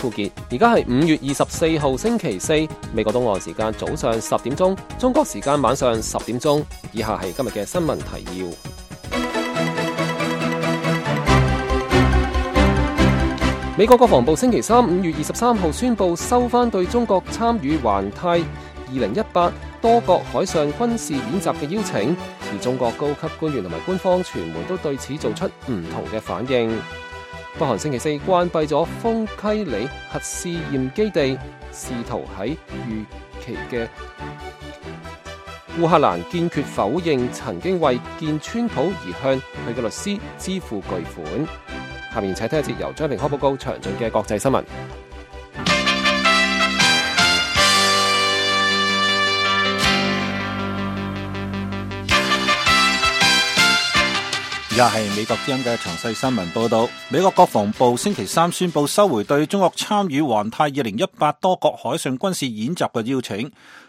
富傑。而家係5月24號星期四，美國東岸時間早上10點鐘，中國時間晚上10點鐘。以下係今日嘅新聞提要。美國國防部星期三5月23號宣布收返對中國參與環太2018多國海上軍事演習嘅邀請，而中國高級官員同埋官方傳媒都對此做出唔同嘅反應。北韓星期四關閉咗豐溪里核試驗基地，試圖喺預期嘅烏克蘭堅決否認曾經為見川普而向佢嘅律師支付巨款。下面請聽一節由張明開報告詳盡嘅國際新聞。而家係美國之音嘅詳細新聞報道。美國國防部星期三宣布收回對中國參與環太2018多國海上軍事演習嘅邀請。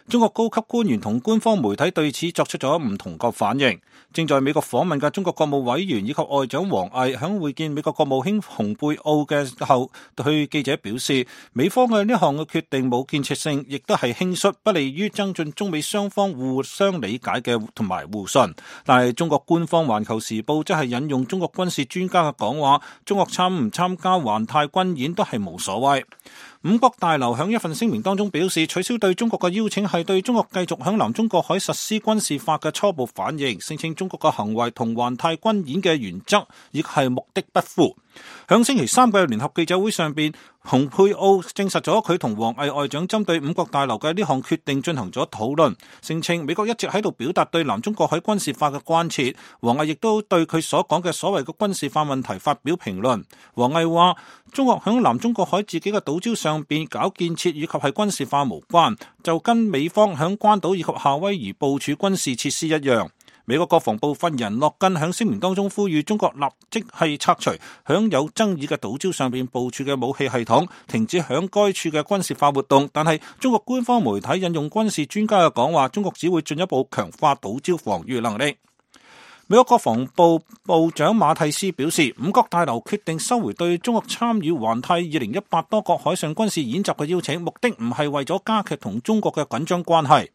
中國高級官員同官方媒體對此作出咗唔同嘅反應。正在美國訪問嘅中國國務委員以及外長王毅響會見美國國務卿蓬佩奧嘅後，對記者表示，美方嘅呢項嘅決定冇建設性，亦都係輕率，不利於增進中美雙方互相理解嘅同埋互信。但係中國官方環球時報則係引用中國軍事專家嘅講話，中國參唔參加環太軍演都係無所謂。五角大樓響一份聲明當中表示，取消對中國嘅邀請係對中國繼續響南中國海實施軍事化嘅初步反應，聲稱中國嘅行為同環太軍演嘅原則亦係目的不符。響星期三嘅聯合記者會上邊，蓬佩奧證實咗佢同王毅外長針對五角大樓嘅呢項決定進行咗討論，聲稱美國一直喺度表達對南中國海軍事化嘅關切。王毅亦都對佢所講嘅所謂嘅軍事化問題發表評論。王毅話，中國響南中國海自己嘅島礁上邊搞建設以及係軍事化無關，就跟美方響關島以及夏威夷部署軍事設施一樣。美國國防部發言人諾根響聲明當中呼籲中國立即係拆除響有爭議嘅島礁上邊部署嘅武器系統，停止響該處嘅軍事化活動。但係中國官方媒體引用軍事專家嘅講話，中國只會進一步強化島礁防禦能力。美國國防部部長馬蒂斯表示，五角大樓決定收回對中國參與環太2018多國海上軍事演習嘅邀請，目的唔係為咗加劇同中國嘅緊張關係。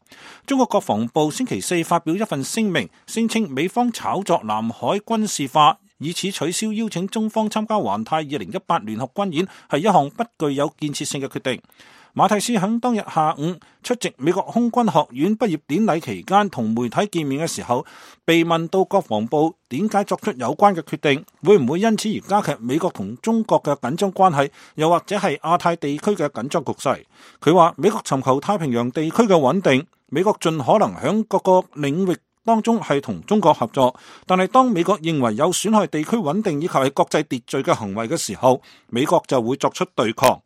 中國國防部星期四發表一份聲明，聲稱美方炒作南海軍事化，以此取消邀請中方參加環太2018聯合軍演，係一項不具有建設性嘅決定。馬蒂斯喺當日下午出席美國空軍學院畢業典禮期間同媒體見面嘅時候，被問到國防部點解作出有關嘅決定，會唔會因此而加劇美國同中國嘅緊張關係，又或者係亞太地區嘅緊張局勢。佢話美國尋求太平洋地區嘅穩定，美國盡可能喺各個領域當中係同中國合作，但係當美國認為有損害地區穩定以及係國際秩序嘅行為嘅時候，美國就會作出對抗。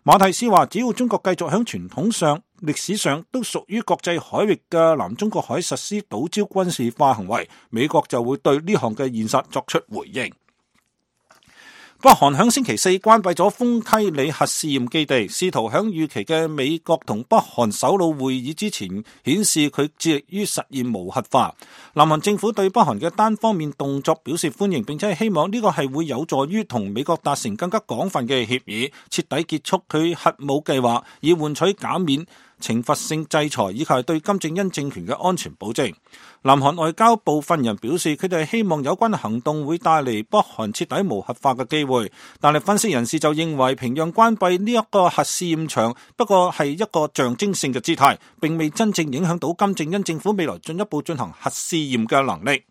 馬蒂斯話，只要中國繼續喺傳統上、歷史上都屬於國際海域嘅南中國海實施島礁軍事化行為，美國就會對呢項嘅現實作出回應。北韓響星期四關閉咗豐溪里核試驗基地，試圖響預期嘅美國同北韓首腦會議之前顯示佢致力於實現無核化。南韓政府對北韓嘅單方面動作表示歡迎，並且係希望呢個係會有助於同美國達成更加廣泛嘅協議，徹底結束佢核武計劃，以換取減免懲罰性制裁以及係對金正恩政權嘅安全保證。南韓外交部發言人表示，佢哋希望有關行動會帶嚟北韓徹底無核化嘅機會，但係分析人士就認為平壤關閉呢一個核試驗場不過係一個象徵性嘅姿態，並未真正影響到金正恩政府未來進一步進行核試驗嘅能力。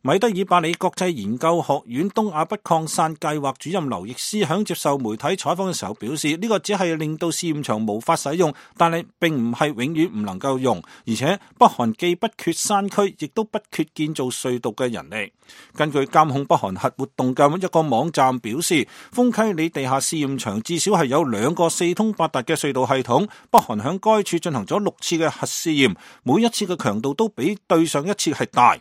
米德爾伯里國際研究學院東亞不擴散計劃主任劉易斯響接受媒體採訪嘅時候表示，呢個只係令到試驗場無法使用，但係並唔係永遠唔能夠用，而且北韓既不缺山區，亦都不缺建造隧道嘅人力。根據監控北韓核活動嘅一個網站表示，豐溪里地下試驗場至少係有2個四通八達嘅隧道系統，北韓響該處進行咗6次嘅核試驗，每一次嘅強度都比對上一次係大。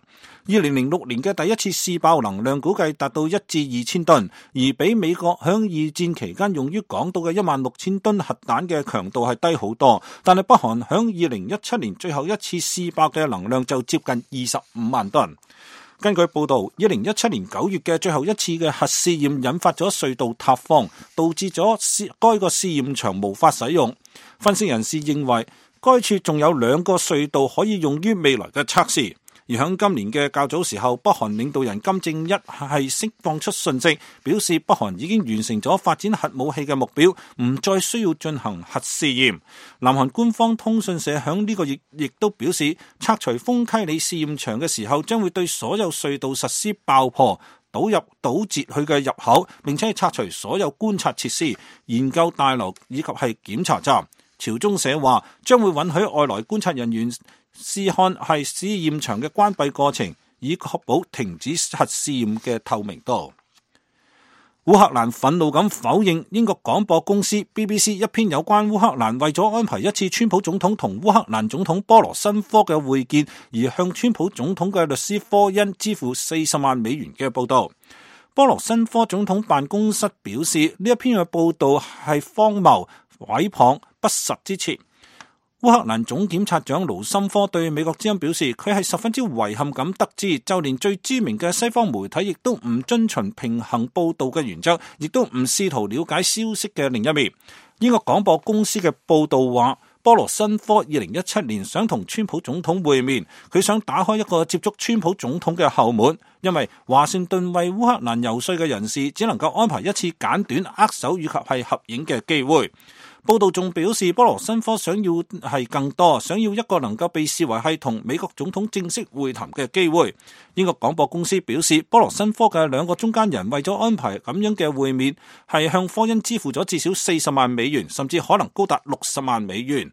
2006年嘅第一次試爆能量估計達到1至2000噸，而比美國響二戰期間用於廣島嘅16000噸核彈嘅強度係低好多。但係北韓響2017年最後一次試爆嘅能量就接近25萬噸。根據報道，2017年9月嘅最後一次嘅核試驗引發咗隧道塌方，導致咗該個試驗場無法使用。分析人士認為，該處仲有2個隧道可以用於未來嘅測試。而喺今年嘅較早時候，北韓領導人金正一係釋放出訊息，表示北韓已經完成咗發展核武器嘅目標，唔再需要進行核試驗。南韓官方通訊社響呢個亦都表示，拆除豐溪里試驗場嘅時候，將會對所有隧道實施爆破、堵截佢嘅入口，並且拆除所有觀察設施、研究大樓以及係檢查站。朝中社話將會允許外來觀察人員試看係試驗場嘅關閉過程，以確保停止核試驗嘅透明度。烏克蘭憤怒咁否認英國廣播公司 BBC 一篇有關烏克蘭為咗安排一次川普總統同烏克蘭總統波羅申科嘅會見而向川普總統嘅律師科恩支付40萬美元嘅報道。波羅申科總統辦公室表示，呢一篇嘅報道係荒謬、毀謗、不實之詞。烏克蘭總檢察長盧森科對美國之音表示，佢係十分之遺憾咁得知，就連最知名嘅西方媒體亦都唔遵循平衡報道嘅原則，亦都唔試圖了解消息嘅另一面。英國廣播公司嘅報道話，波羅申科2017年想同川普總統會面，佢想打開一個接觸川普總統嘅後門，因為華盛頓為烏克蘭遊說嘅人士只能夠安排一次簡短握手以及係合影嘅機會。報道仲表示，波羅申科想要係更多，想要一個能夠被視為係同美國總統正式會談嘅機會。英國廣播公司表示，波羅申科嘅2個中間人為咗安排咁樣嘅會面，係向科恩支付咗至少40萬美元，甚至可能高達60萬美元。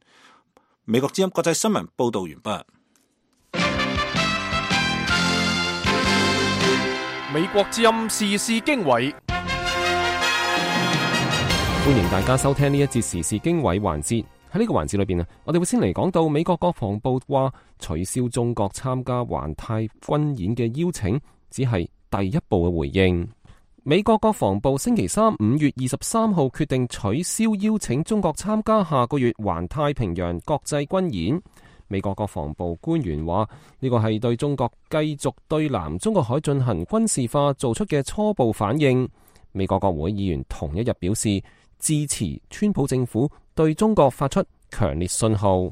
美國之音國際新聞報道完畢。美國之音時事經緯。歡迎大家收聽呢一節時事經緯環節。喺呢個環節裏邊我哋會先嚟講到美國國防部話取消中國參加環太軍演嘅邀請，只係第一步嘅回應。美國國防部星期三5月23號決定取消邀請中國參加下個月環太平洋國際軍演。美國國防部官員話，呢個係對中國繼續對南中國海進行軍事化做出嘅初步反應。美國國會議員同一日表示支持川普政府對中國發出強烈信號。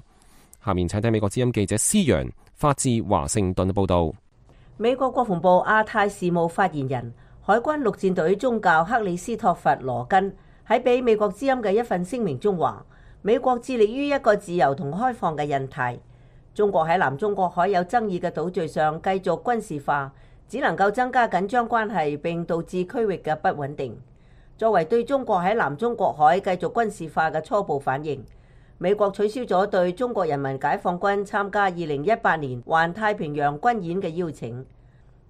下面請聽美國之音記者施洋發自華盛頓嘅報道。美國國防部亞太事務發言人、海軍陸戰隊中校克里斯托弗羅根喺俾美國之音嘅一份聲明中話，美國致力於一個自由同開放嘅印太。中國喺南中國海有爭議嘅島嶼上繼續軍事化，只能夠增加緊張關係，並導致區域嘅不穩定。作為對中國喺南中國海繼續軍事化嘅初步反應，美國取消咗對中國人民解放軍參加2018年環太平洋軍演嘅邀請。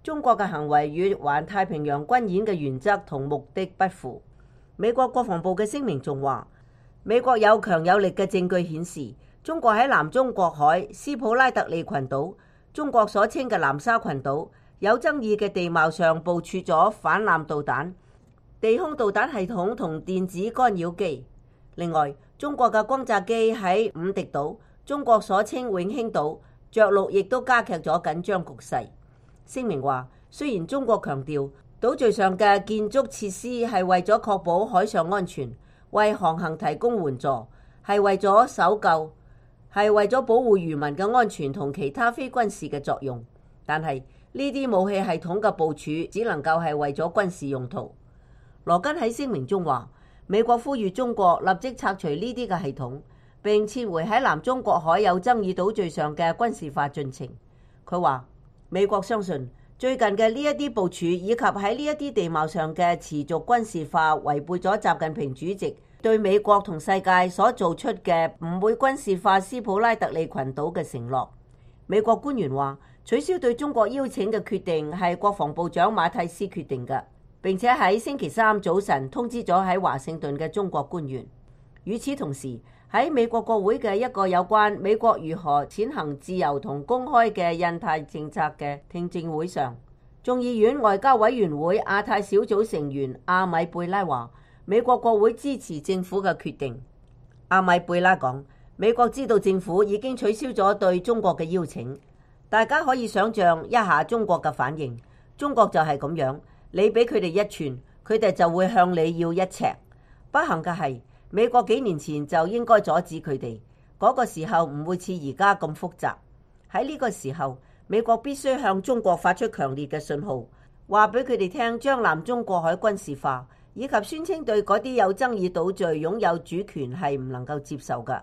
中國嘅行為與環太平洋軍演嘅原則同目的不符。美國國防部嘅聲明仲話，美國有強有力嘅證據顯示，中國喺南中國海、斯普拉特利群島、中國所稱嘅南沙群島有爭議嘅地貌上部署咗反艦導彈、地空導彈系統同電子干擾機。另外，中國嘅轟炸機喺五敵島、中國所稱永興島着陸，亦都加劇咗緊張局勢。聲明話，雖然中國強調島嶼上嘅建築設施係為咗確保海上安全，為航行提供援助，係為咗搜救，係為咗保護漁民嘅安全同其他非軍事嘅作用，但係呢啲武器系統嘅部署只能夠係為咗軍事用途。羅根喺聲明中話，美國呼籲中國立即拆除呢啲嘅系統，並撤回喺南中國海有爭議島嶼上嘅軍事化進程。佢話，美國相信最近嘅呢一啲部署以及喺呢一啲地貌上嘅持續軍事化，違背咗習近平主席對美國同世界所做出嘅唔會軍事化斯普拉特利群島嘅承諾。美國官員話，取消對中國邀請嘅決定係國防部長馬蒂斯決定嘅，並且喺星期三早晨通知咗喺華盛頓嘅中國官員。與此同時，喺美國國會嘅一個有關美國如何踐行自由同公開嘅印太政策嘅聽證會上，眾議院外交委員會亞太小組成員阿米貝拉話，美國國會支持政府嘅決定。阿米貝拉講，美國知道政府已經取消咗對中國嘅邀請，大家可以想象一下中國嘅反應，中國就係咁樣，你俾佢哋一寸，佢哋就會向你要一尺。不幸嘅係，美國幾年前就應該阻止佢哋，嗰個時候唔會似而家咁複雜。喺呢個時候，美國必須向中國發出強烈嘅信號，話俾佢哋聽，將南中國海軍事化，以及宣稱對嗰啲有爭議島嶼擁有主權係唔能夠接受嘅。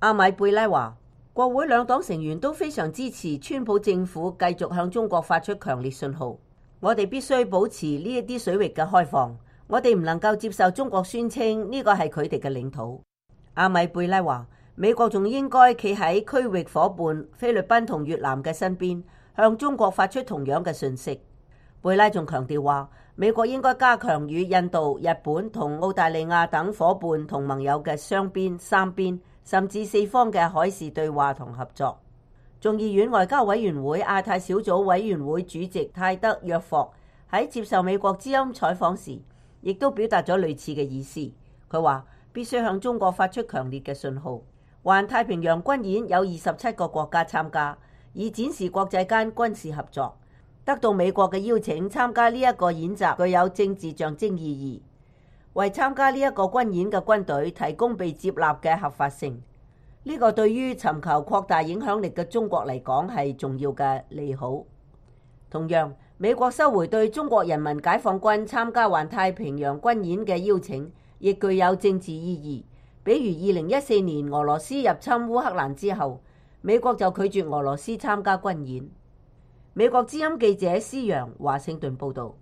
阿米貝拉話，國會兩黨成員都非常支持川普政府繼續向中國發出強烈信號。我哋必須保持呢一啲水域嘅開放，我哋唔能夠接受中國宣稱呢個係佢哋嘅領土。阿米貝拉話，美國仲應該企喺區域夥伴菲律賓同越南嘅身邊，向中國發出同樣嘅訊息。貝拉仲強調話，美國應該加強與印度、日本同澳大利亞等夥伴同盟友嘅雙邊、三邊甚至四方嘅海事對話同合作。眾議院外交委員會亞太小組委員會主席泰德約霍喺接受美國之音採訪時，亦都表達咗類似嘅意思。佢話必須向中國發出強烈嘅信號。環太平洋軍演有27個國家參加，以展示國際間軍事合作。得到美國嘅邀請參加呢一個演習，具有政治象徵意義，為參加呢一個軍演嘅軍隊提供被接納嘅合法性。呢個對於尋求擴大影響力嘅中國嚟講係重要嘅利好。同樣，美國收回對中國人民解放軍參加環太平洋軍演嘅邀請，亦具有政治意義。比如2014年俄羅斯入侵烏克蘭之後，美國就拒絕俄羅斯參加軍演。美國之音記者施洋華盛頓報導。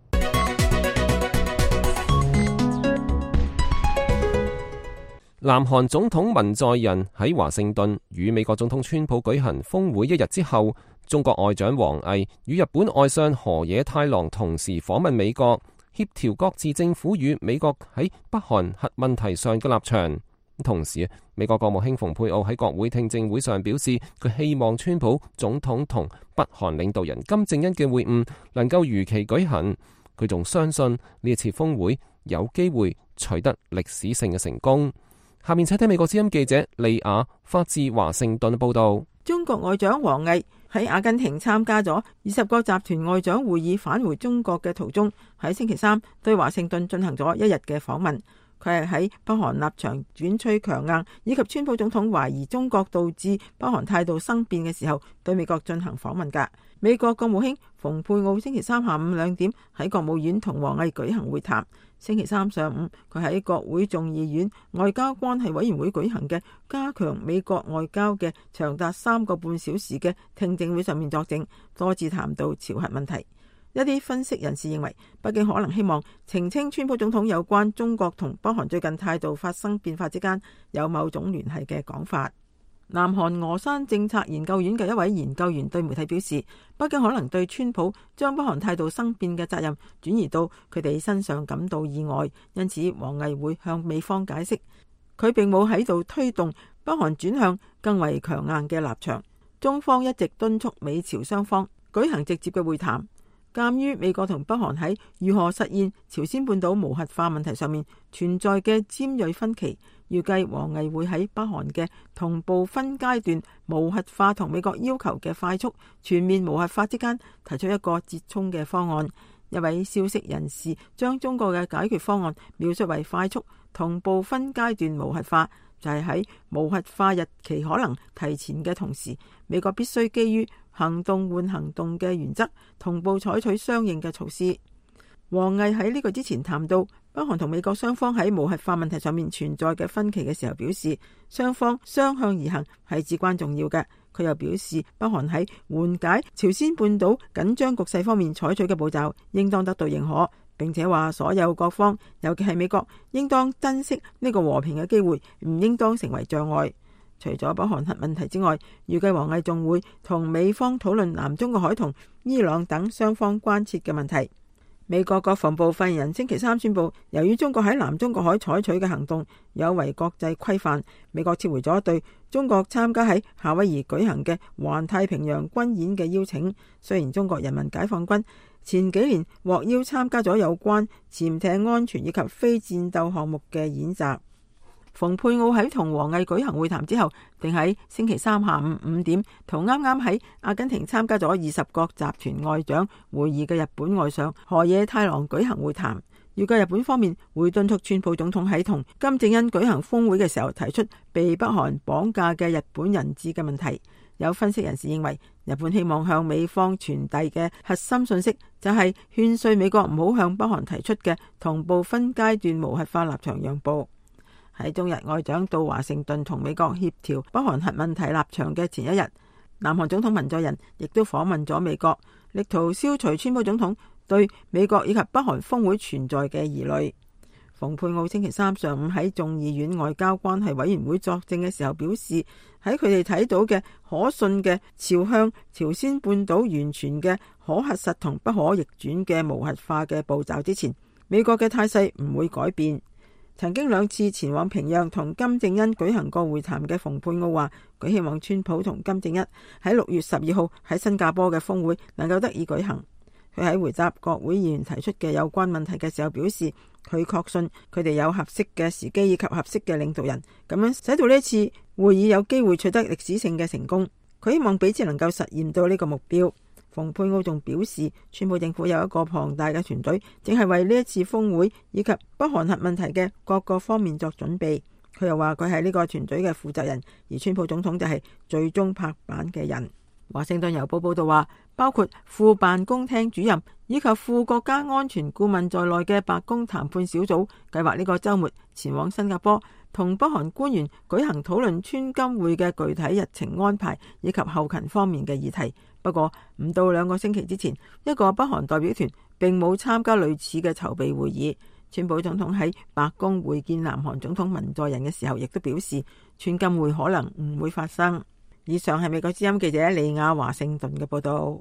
南韓總統文在寅喺華盛頓與美國總統川普舉行峰會一日之後，中國外長王毅與日本外相河野太郎同時訪問美國，協調各自政府與美國喺北韓核問題上嘅立場。同時，美國國務卿蓬佩奧喺國會聽證會上表示，佢希望川普總統同北韓領導人金正恩嘅會晤能夠如期舉行。佢仲相信呢一次峰會有機會取得歷史性嘅成功。下面請聽美國之音記者利亞發自華盛頓報道。中國外長王毅喺阿根廷參加咗20個集團外長會議返回中國嘅途中，喺星期三對華盛頓進行咗一日嘅訪問。佢係喺北韓立場轉趨強硬，以及川普總統懷疑中國導致北韓態度生變嘅時候，對美國進行訪問㗎。美國國務卿蓬佩奧星期三下午2點喺國務院同王毅舉行會談。星期三上午，佢喺國會眾議院外交關係委員會舉行嘅加強美國外交嘅長達3個半小時嘅聽證會上面作證，多次談到朝核問題。一啲分析人士認為，北京可能希望澄清川普總統有關中國同北韓最近態度發生變化之間有某種聯繫嘅講法。南韓峨山政策研究院嘅一位研究員對媒體表示，北京可能對川普將北韓態度生變嘅責任轉移到佢哋身上感到意外，因此王毅會向美方解釋，佢並冇喺度推動北韓轉向更為強硬嘅立場。中方一直敦促美朝雙方舉行直接嘅會談。鑒於美國同北韓喺如何實現朝鮮半島無核化問題上面存在嘅尖銳分歧，預計王毅會喺北韓嘅同步分階段無核化同美國要求嘅快速全面無核化之間提出一個折衷嘅方案。一位消息人士將中國嘅解決方案描述為快速同步分階段無核化，就係喺無核化日期可能提前嘅同時，美國必須基於行動換行動嘅原則，同步採取相應嘅措施。王毅喺呢個之前談到北韓同美國雙方喺無核化問題上面存在嘅分歧嘅時候，表示雙方相向而行係至關重要嘅。佢又表示，北韓喺緩解朝鮮半島緊張局勢方面採取嘅步驟應當得到認可，並且話所有各方，尤其係美國，應當珍惜呢個和平嘅機會，唔應當成為障礙。除咗北韓核問題之外，預計王毅仲會同美方討論南中國海同伊朗等雙方關切嘅問題。美國國防部發言人星期三宣布，由於中國喺南中國海採取嘅行動有違國際規範，美國撤回咗對中國參加喺夏威夷舉行嘅環太平洋軍演嘅邀請。雖然中國人民解放軍前幾年獲邀參加咗有關潛艇安全以及非戰鬥項目嘅演習。蓬佩奧喺同王毅舉行會談之後，定喺星期三下午5點同啱啱喺阿根廷參加咗20國集團外長會議嘅日本外相河野太郎舉行會談。預計日本方面會敦促川普總統喺同金正恩舉行峰會嘅時候提出被北韓綁架嘅日本人質嘅問題。有分析人士認為，日本希望向美方傳遞嘅核心信息就係勸說美國唔好向北韓提出嘅同步分階段無核化立場讓步。喺中日外長到華盛頓同美國協調北韓核問題立場嘅前一日，南韓總統文在寅亦都訪問咗美國，力圖消除川普總統對美國以及北韓峰會存在嘅疑慮。蓬佩奧星期三上午喺眾議院外交關係委員會作證嘅時候表示，喺佢哋睇到嘅可信嘅朝向朝鮮半島完全嘅可核實同不可逆轉嘅無核化嘅步驟之前，美國嘅態勢唔會改變。曾經2次前往平壤同金正恩舉行過會談嘅蓬佩奧話，佢希望川普同金正恩喺6月12號喺新加坡嘅峰會能夠得以舉行。佢喺回答國會議員提出嘅有關問題嘅時候表示，佢確信佢哋有合適嘅時機以及合適嘅領導人，咁樣使到呢次會議有機會取得歷史性嘅成功。佢希望彼此能夠實現到呢個目標。蓬佩奧仲表示，川普政府有一個龐大嘅團隊，正係為呢一次峰會以及北韓核問題嘅各個方面作準備。佢又話佢係呢個團隊嘅負責人，而川普總統就係最終拍板嘅人。華盛頓郵報報道話，包括副辦公廳主任以及副國家安全顧問在內嘅白宮談判小組計劃呢個週末前往新加坡，同北韓官員舉行討論川金會嘅具體日程安排以及後勤方面嘅議題。不過唔到2個星期之前，一個北韓代表團並冇參加類似嘅籌備會議。川普總統喺白宮會見南韓總統文在寅嘅時候，亦都表示川金會可能唔會發生。以上係美國之音記者李亞華盛頓嘅報道。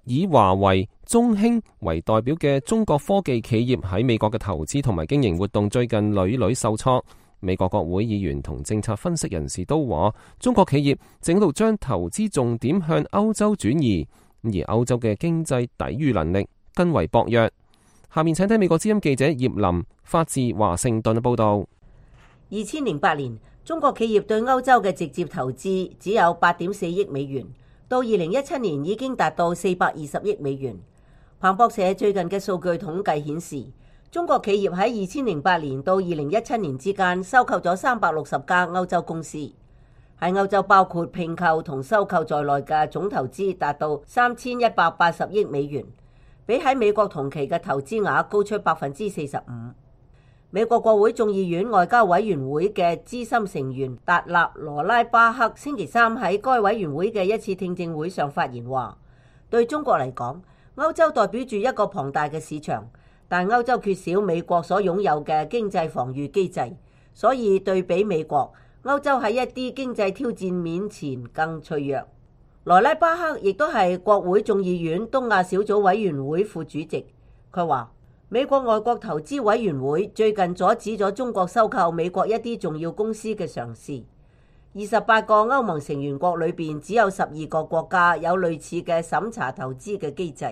以華為、中興為代表嘅中國科技企業喺美國嘅投資同埋經營活動最近屢屢受挫。美國國會議員同政策分析人士都話，中國企業正喺度將投資重點向歐洲轉移，而歐洲嘅經濟抵禦能力更為薄弱。下面請睇美國之音記者葉林發自華盛頓嘅報道。2008年，中國企業對歐洲嘅直接投資只有8.4億美元，到2017年已經達到420億美元。彭博社最近嘅數據統計顯示，中國企業喺2008年到2017年之間收購咗360家歐洲公司，喺歐洲包括併購同收購在內嘅總投資達到3180億美元，比喺美國同期嘅投資額高出45%。美國國會眾議院外交委員會嘅資深成員達納羅拉巴克星期三喺該委員會嘅一次聽證會上發言話，對中國嚟講，歐洲代表住一個龐大嘅市場，但歐洲缺少美國所擁有嘅經濟防禦機制，所以對比美國，歐洲喺一啲經濟挑戰面前更脆弱。羅拉巴克亦都係國會眾議院東亞小組委員會副主席，佢話美國外國投資委員會最近阻止咗中國收購美國一啲重要公司嘅嘗試。28個歐盟成員國裏邊，只有12個國家有類似嘅審查投資嘅機制。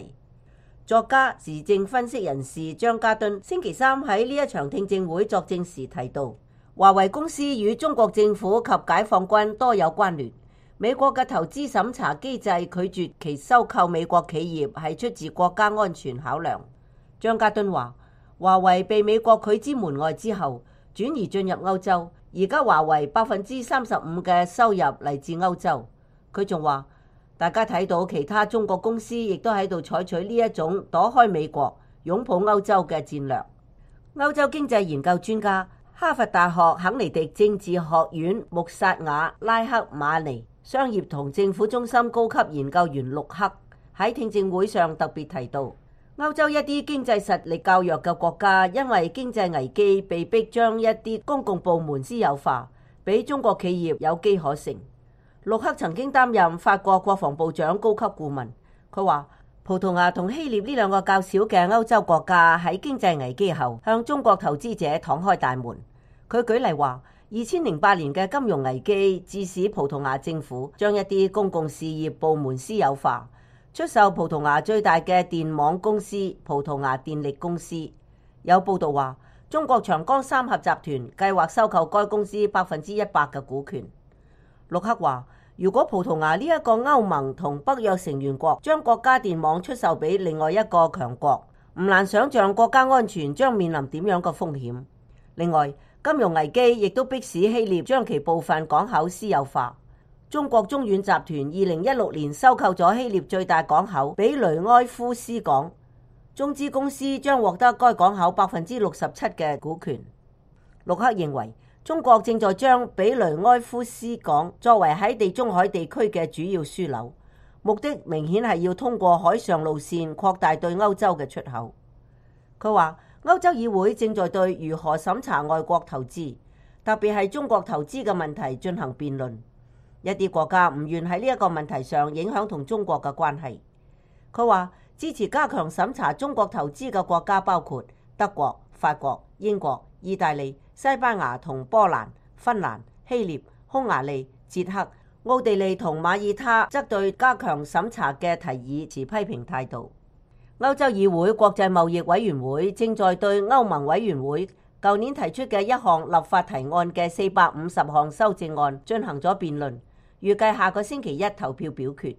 作家、時政分析人士張家敦星期三喺呢一場聽證會作證時提到，華為公司與中國政府及解放軍多有關聯。美國嘅投資審查機制拒絕其收購美國企業係出自國家安全考量。張家敦話，華為被美國拒之門外之後，轉移進入歐洲。而家華為35%嘅收入嚟自歐洲。佢仲話，大家睇到其他中國公司亦都喺度採取呢一種躲開美國、擁抱歐洲嘅戰略。歐洲經濟研究專家、哈佛大學肯尼迪政治學院穆薩瓦拉克馬尼商業同政府中心高級研究員陸克喺聽證會上特別提到，歐洲一啲經濟實力較弱嘅國家，因為經濟危機被迫將一啲公共部門私有化，俾中國企業有機可乘。陸克曾經擔任法國國防部長高級顧問，佢話葡萄牙同希臘呢兩個較小嘅歐洲國家喺經濟危機後向中國投資者敞開大門。佢舉例話，2008年嘅金融危機致使葡萄牙政府將一啲公共事業部門私有化。出售葡萄牙最大嘅電網公司葡萄牙電力公司。有報道話，中國長江三峽集團計劃收購該公司100%嘅股權。陸克話，如果葡萄牙呢一個歐盟同北約成員國將國家電網出售俾另外一個強國，唔難想象國家安全將面臨點樣嘅風險。另外，金融危機亦都迫使希臘將其部分港口私有化。中國中遠集團2016年收購咗希臘最大港口比雷埃夫斯港，中資公司將獲得該港口67%嘅股權。陸克認為，中國正在將比雷埃夫斯港作為喺地中海地區嘅主要樞紐，目的明顯係要通過海上路線擴大對歐洲嘅出口。佢話，歐洲議會正在對如何審查外國投資，特別係中國投資嘅問題進行辯論。一啲國家唔願喺呢一個問題上影響同中國嘅關係。佢話，支持加強審查中國投資嘅國家包括德國、法國、英國、意大利、西班牙同波蘭、芬蘭、希臘、匈牙利、捷克、奧地利同馬耳他則對加強審查嘅提議持批評態度。歐洲議會國際貿易委員會正在對歐盟委員會舊年提出嘅一項立法提案嘅450項修正案進行咗辯論，預計下個星期一投票表決。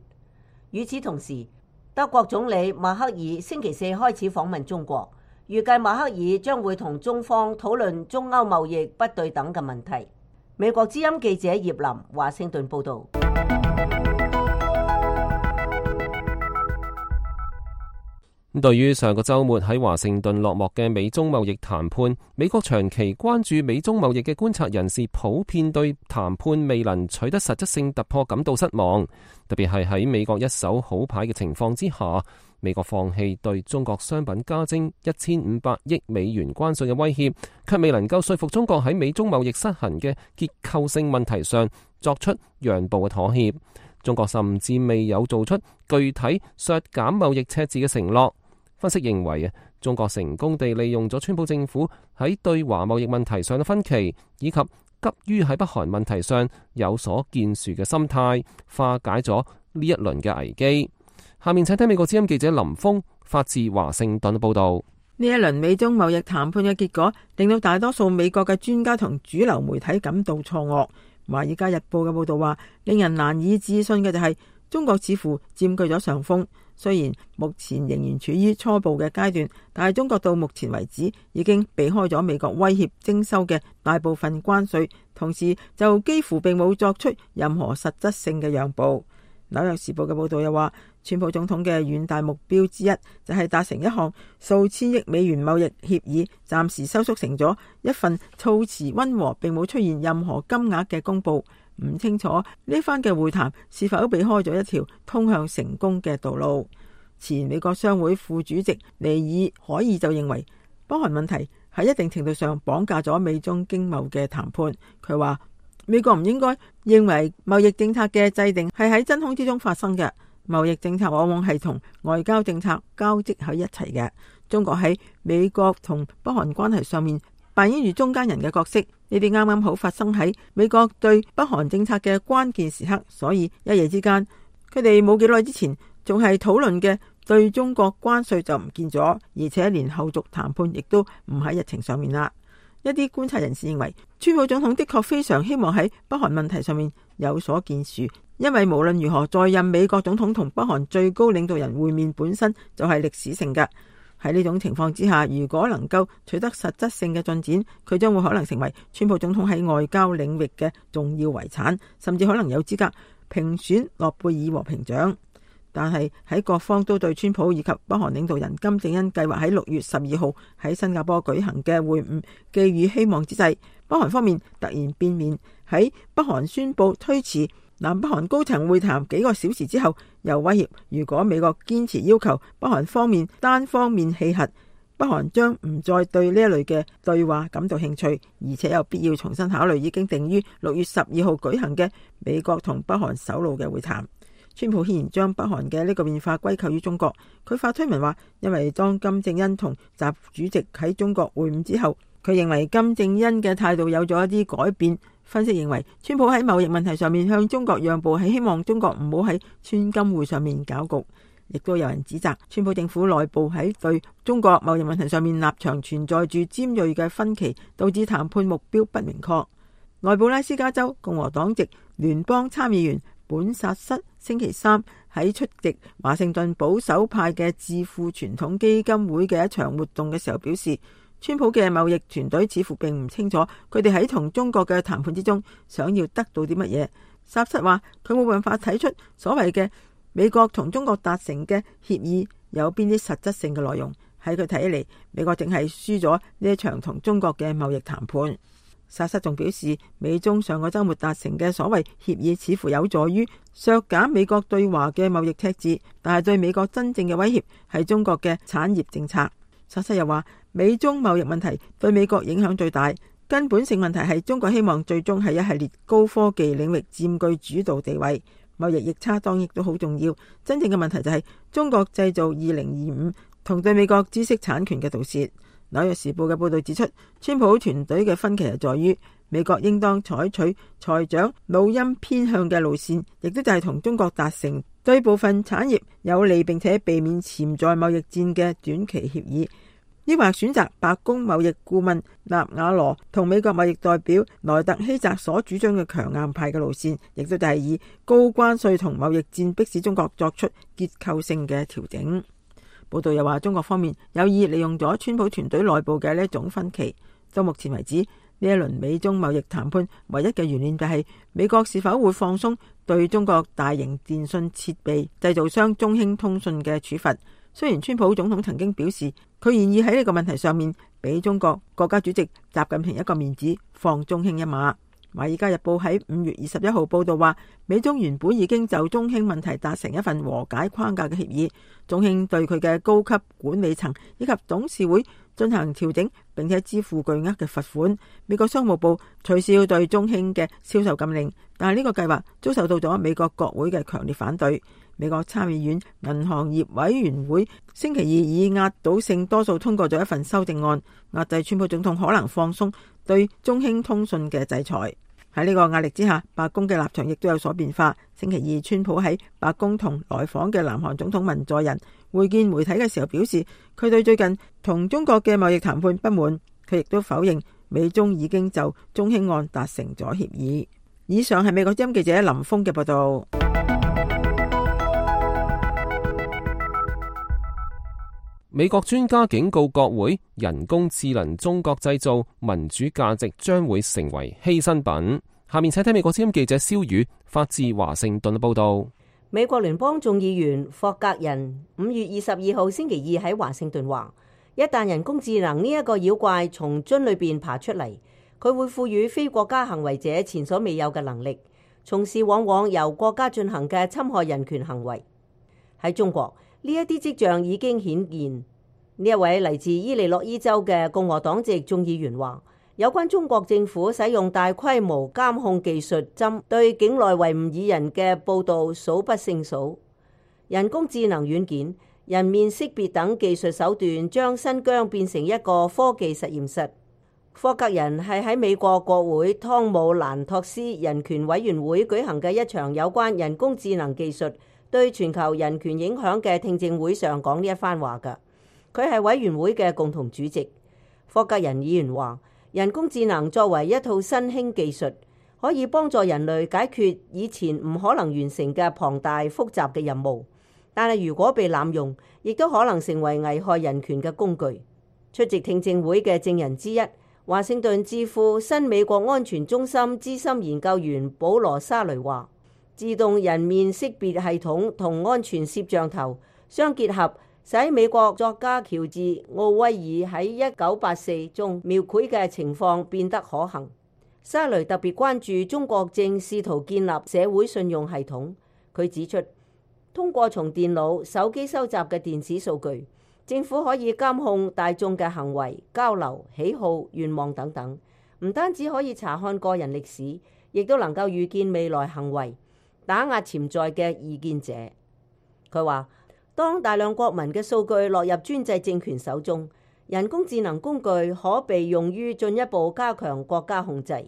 與此同時，德國總理默克爾星期四開始訪問中國，預計默克爾將會同中方討論中歐貿易不對等嘅問題。美國之音記者葉林華盛頓報導。對於上個週末喺華盛頓落幕嘅美中貿易談判，美國長期關注美中貿易嘅觀察人士普遍對談判未能取得實質性突破感到失望，特別係喺美國一手好牌嘅情況之下，美國放棄對中國商品加徵1500億美元關稅嘅威脅，卻未能夠說服中國喺美中貿易失衡嘅結構性問題上作出讓步嘅妥協。中國甚至未有做出具體削減貿易赤字嘅承諾。分析認為中國成功地利用咗川普政府喺對華貿易問題上嘅分歧，以及急於喺北韓問題上有所建樹嘅心態，化解咗呢一輪嘅危機。下面請聽美國之音記者林峰發自華盛頓報道。呢一輪美中貿易談判嘅結果，令到大多數美國嘅專家同主流媒體感到錯愕。華爾街日報嘅報道話，令人難以置信嘅就係中國似乎佔據咗上風。雖然目前仍然處於初步嘅階段，但係中國到目前為止已經避開咗美國威脅徵收嘅大部分關稅，同時就幾乎並冇作出任何實質性嘅讓步。紐約時報嘅報道又話，川普總統嘅遠大目標之一就係達成一項數千億美元貿易協議，暫時收縮成咗一份措辭溫和並冇出現任何金額嘅公佈。唔清楚呢番嘅會談是否避開咗一條通向成功嘅道路。前美國商會副主席尼爾海爾就認為，北韓問題喺一定程度上綁架咗美中經貿嘅談判。佢話，美國唔應該認為貿易政策嘅制定係喺真空之中發生嘅，貿易政策往往係同外交政策交織喺一齊嘅。中國喺美國同北韓關係上面扮演住中間人嘅角色，呢啲啱啱好發生喺美國對北韓政策嘅關鍵時刻，所以一夜之間，佢哋冇幾耐之前仲係討論嘅對中國關稅就唔見咗，而且連後續談判亦都唔喺日程上面啦。一啲觀察人士認為，川普總統的確非常希望喺北韓問題上面有所建樹，因為無論如何，在任美國總統同北韓最高領導人會面本身就係歷史性嘅。喺呢種情況之下，如果能夠取得實質性嘅進展，佢將會可能成為川普總統喺外交領域嘅重要遺產，甚至可能有資格評選諾貝爾和平獎。但係喺各方都對川普以及北韓領導人金正恩計劃喺6月12號喺新加坡舉行嘅會晤寄予希望之際，北韓方面突然變面，喺北韓宣布推遲南北韓高層會談幾個小時之後，又威脅如果美國堅持要求北韓方面單方面棄核，北韓將唔再對呢一類嘅對話感到興趣，而且有必要重新考慮已經定於6月12號舉行嘅美國同北韓首腦嘅會談。川普顯然將北韓嘅呢個變化歸咎於中國，佢發推文話，因為當金正恩同習主席喺中國會晤之後，佢認為金正恩嘅態度有咗一啲改變。分析認為，川普喺貿易問題上面向中國讓步，係希望中國唔好喺川金會上面搞局。亦都有人指責川普政府內部喺對中國貿易問題上面立場存在住尖銳嘅分歧，導致談判目標不明確。內布拉斯加州共和黨籍聯邦參議員本薩瑟星期三喺出席華盛頓保守派嘅智庫傳統基金會嘅一場活動嘅時候表示，川普嘅貿易團隊似乎並唔清楚佢哋喺同中國嘅談判之中想要得到啲乜嘢。薩瑟話佢冇辦法睇出所謂嘅美國同中國達成嘅協議有邊啲實質性嘅內容。喺佢睇起嚟，美國淨係輸咗呢一場同中國嘅貿易談判。薩瑟仲表示，美中上個週末達成嘅所謂協議似乎有助於削減美國對華嘅貿易赤字，但係對美國真正嘅威脅係中國嘅產業政策。薩瑟又話，美中貿易問題對美國影響最大，根本性問題係中國希望最終喺一系列高科技領域佔據主導地位。貿易逆差當然亦都好重要，真正嘅問題就係中國製造2025同對美國知識產權嘅盜竊。紐約時報嘅報導指出，川普團隊嘅分歧係在於美國應當採取財長老欽偏向嘅路線，亦都就係同中國達成對部分產業有利並且避免潛在貿易戰嘅短期協議，抑或選擇白宮貿易顧問納瓦羅同美國貿易代表萊特希澤所主張嘅強硬派嘅路線，亦都就係以高關稅同貿易戰迫使中國作出結構性嘅調整。報道又話，中國方面有意利用咗川普團隊內部嘅呢一種分歧。到目前為止，呢一輪美中貿易談判唯一嘅懸念就係美國是否會放鬆對中國大型電信設備製造商中興通訊嘅處罰。雖然川普總統曾經表示佢願意喺呢個問題上面俾中國國家主席習近平一個面子，放中興一馬。《華爾街日報》喺5月21號報道話，美中原本已經就中興問題達成一份和解框架嘅協議，中興對佢嘅高級管理層以及董事會進行調整，並且支付巨額嘅罰款。美國商務部取消對中興嘅銷售禁令，但係呢個計劃遭受到咗美國國會嘅強烈反對。美國參議院銀行業委員會星期二以壓倒性多數通過咗一份修正案，壓制川普總統可能放鬆對中興通訊嘅制裁。喺呢個壓力之下，白宮嘅立場亦都有所變化。星期二，川普喺白宮同來訪嘅南韓總統文在寅會見媒體嘅時候表示，佢對最近同中國嘅貿易談判不滿。佢亦都否認美中已經就中興案達成咗協議。以上係美國之音記者林峰嘅報道。美國專家警告國會，人工智能中國製造民主價值將會成為犧牲品。下面請睇美國之音記者蕭宇發自華盛頓嘅報道。美國聯邦眾議員霍格人5月22號星期二喺華盛頓話，一旦人工智能呢一個妖怪從樽裏邊爬出嚟，佢會賦予非國家行為者前所未有嘅能力，從事往往由國家進行嘅侵害人權行為。喺中國，呢一啲跡象已經顯現。呢一位嚟自伊利諾伊州嘅共和黨籍眾議員話，有關中國政府使用大規模監控技術針對境內維吾爾人嘅報導數不勝數。人工智能軟件、人面識別等技術手段將新疆變成一個科技實驗室。霍格人係喺美國國會湯姆蘭托斯人權委員會舉行嘅一場有關人工智能技術對全球人權影響嘅聽證會上講呢一番話㗎。佢係委員會嘅共同主席。霍格人議員話，人工智能作為一套新興技術，可以幫助人類解決以前唔可能完成嘅龐大複雜嘅任務，但係如果被濫用，亦都可能成為危害人權嘅工具。出席聽證會嘅證人之一，華盛頓智庫新美國安全中心資深研究員保羅沙雷話，自動人面識別系統同安全攝像頭相結合，使美國作家喬治奧威爾喺1984中描繪嘅情況變得可行。沙雷特別關注中國正試圖建立社會信用系統。佢指出，通過從電腦、手機收集嘅電子數據，政府可以監控大眾嘅行為、交流、喜好、願望等等。唔單止可以查看個人歷史，亦都能夠預見未來行為，打壓潛在嘅異見者。佢話，當大量國民嘅數據落入專制政權手中，人工智能工具可被用於進一步加強國家控制。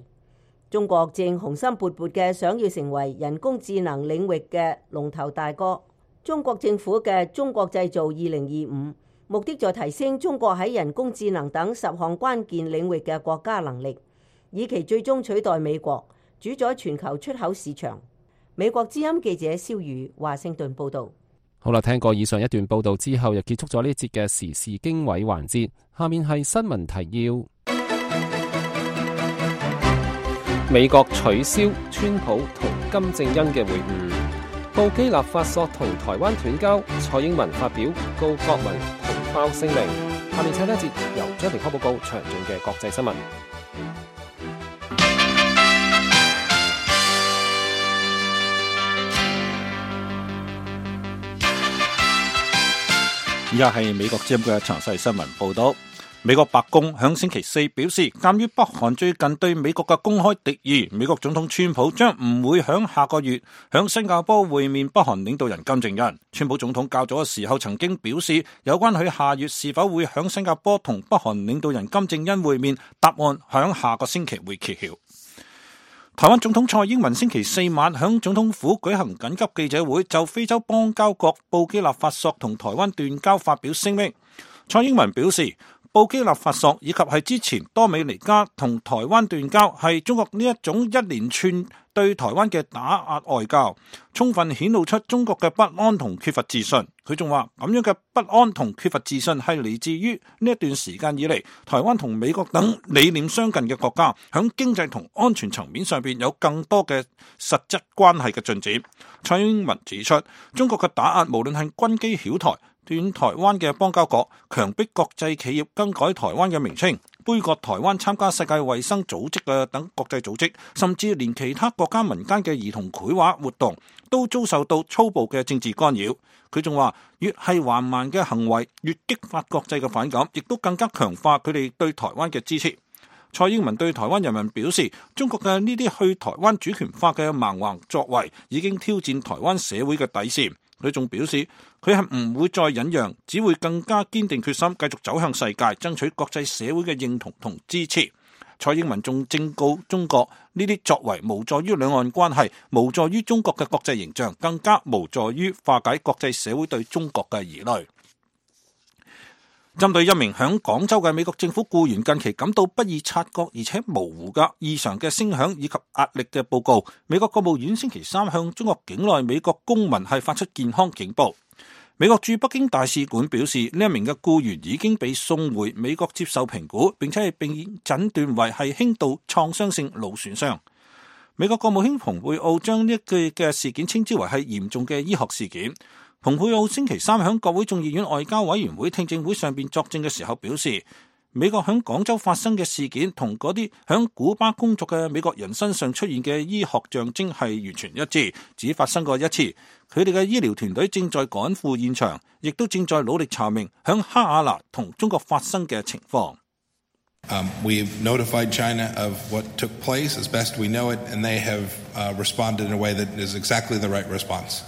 中國正雄心勃勃嘅想要成為人工智能領域嘅龍頭大哥。中國政府嘅中國製造2025，目的在提升中國喺人工智能等10項關鍵領域嘅國家能力，以期最終取代美國，主宰全球出口市場。美國之音記者蕭宇華盛頓報道。好啦，聽過以上一段報道之後，又結束咗呢節嘅時事經緯環節。下面係新聞提要。美國取消川普同金正恩嘅會晤。布基納法索同台灣斷交，蔡英文發表告國民同胞聲明。下面請一節由張平科報告詳盡嘅國際新聞。以下係美國之音嘅詳細新聞報道。美國白宮響星期四表示，鑒於北韓最近對美國嘅公開敵意，美國總統川普將唔會響下個月響新加坡會面北韓領導人金正恩。川普總統較早嘅時候曾經表示，有關佢下月是否會響新加坡同北韓領導人金正恩會面，答案響下個星期會揭曉。台灣總統蔡英文星期四晚響總統府舉行緊急記者會，就非洲邦交國布基納法索同台灣斷交發表聲明。蔡英文表示，布基納法索以及係之前多美尼加同台灣斷交，係中國呢一種一連串對台灣嘅打壓外交，充分顯露出中國嘅不安同缺乏自信。佢仲話，咁樣嘅不安同缺乏自信係嚟自於呢一段時間以嚟，台灣同美國等理念相近嘅國家響經濟同安全層面上邊有更多嘅實質關係嘅進展。蔡英文指出，中國嘅打壓無論係軍機擾台、斷台灣嘅邦交國、強迫國際企業更改台灣嘅名稱、杯葛台灣參加世界衛生組織嘅等國際組織，甚至連其他國家民間嘅兒童繪畫活動都遭受到粗暴嘅政治干擾。佢仲話，越係橫蠻嘅行為，越激發國際嘅反感，亦都更加強化佢哋對台灣嘅支持。蔡英文對台灣人民表示，中國嘅呢啲去台灣主權化嘅蠻橫作為，已經挑戰台灣社會嘅底線。佢仲表示，佢係唔會再忍讓，只會更加堅定決心，繼續走向世界，爭取國際社會嘅認同同支持。蔡英文仲正告中國，呢啲作為無助於兩岸關係，無助於中國嘅國際形象，更加無助於化解國際社會對中國嘅疑慮。針對一名響廣州嘅美國政府僱員近期感到不易察覺而且模糊嘅異常嘅聲響以及壓力嘅報告，美國國務院星期三向中國境內美國公民係發出健康警報。美國駐北京大使館表示，呢一名嘅僱員已經被送回美國接受評估，並且係被診斷為係輕度創傷性腦損傷。美國國務卿蓬佩奧將呢一句嘅事件稱之為係嚴重嘅醫學事件。蓬佩奧星期三喺國會眾議院外交委員會聽證會上邊作證嘅時候表示，美國喺廣州發生嘅事件同嗰啲喺古巴工作嘅美國人身上出現嘅醫學象徵係完全一致，只發生過一次。佢哋嘅醫療團隊正在趕赴現場，亦都正在努力查明喺哈瓦那同中國發生嘅情況。We've notified China of what took place as best we know it, and they have responded in a way that is exactly the right response.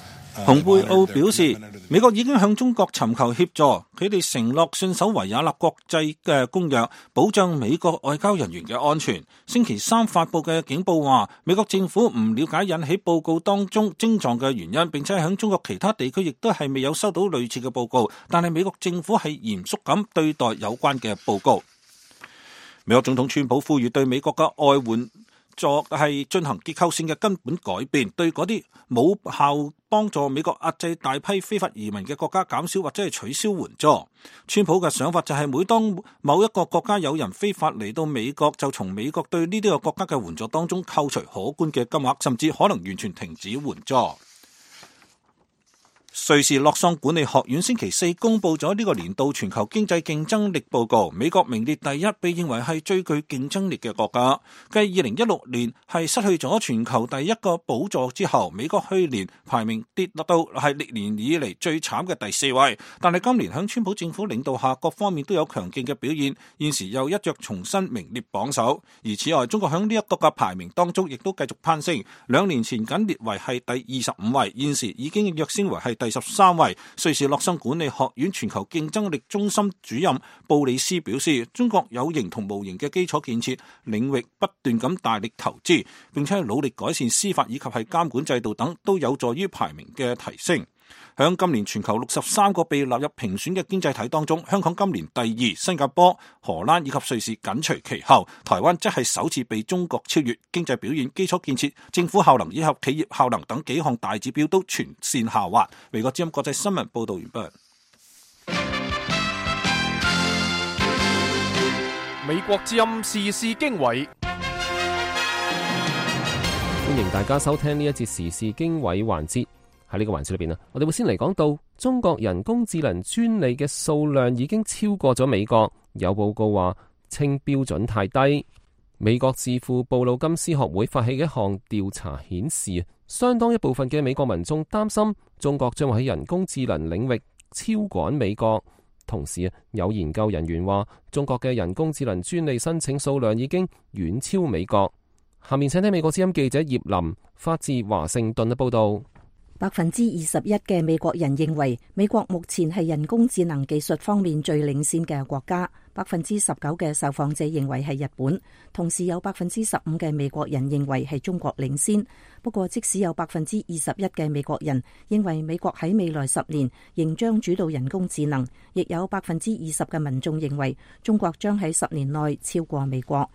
蓬佩奧表示，美國已經向中國尋求協助，佢哋承諾信守維也納國際嘅公約，保障美國外交人員嘅安全。星期三發布嘅警報話，美國政府唔了解引起報告當中症狀嘅原因，並且喺中國其他地區亦都係未有收到類似嘅報告，但係美國政府係嚴肅咁對待有關嘅報告。美國總統川普呼籲對美國嘅外援係進行結構性嘅根本改變，對嗰啲冇效幫助美國壓制大批非法移民嘅國家減少或者係取消援助。川普嘅想法就係每當某一個國家有人非法嚟到美國，就從美國對呢啲個國家嘅援助當中扣除可觀嘅金額，甚至可能完全停止援助。瑞士洛桑管理學院星期四公布咗呢個年度全球經濟競爭力報告，美國名列第一，被認為係最具競爭力嘅國家。繼2016年係失去咗全球第一個寶座之後，美國去年排名跌落到係歷年以嚟最慘嘅第4位。但係今年響川普政府領導下，各方面都有強勁嘅表現，現時又一躍重新名列榜首。而此外，中國響呢一個嘅排名當中，亦都繼續攀升，2年前僅列為係第25位，現時已經躍升為係第13位。瑞士洛桑管理學院全球競爭力中心主任布里斯表示，中國有形同無形嘅基礎建設領域不斷咁大力投資，並且努力改善司法以及係監管制度等，都有助於排名嘅提升。響今年全球63個被納入評選嘅經濟體當中，香港今年第2，新加坡、荷蘭以及瑞士緊隨其後，台灣則係首次被中國超越。經濟表現、基礎建設、政府效能以及企業效能等幾項大指標都全線下滑。美國之音國際新聞報道完畢。美國之音時事經緯，歡迎大家收聽呢一節時事經緯環節。喺呢個環節裏邊，我哋會先嚟講到中國人工智能專利嘅數量已經超過咗美國，有報告話稱標準太低。美國智庫布魯金斯學會發起嘅一項調查顯示，相當一部分嘅美國民眾擔心中國將會喺人工智能領域超趕美國。同時有研究人員話，中國嘅人工智能專利申請數量已經遠超美國。下面請聽美國之音記者葉林發自華盛頓嘅報道。21%嘅美國人認為美國目前係人工智能技術方面最領先嘅國家，19%嘅受訪者認為係日本，同時有15%嘅美國人認為係中國領先。不過即使有21%嘅美國人認為美國喺未來10年仍將主導人工智能，亦有20%嘅民眾認為中國將喺10年內超過美國。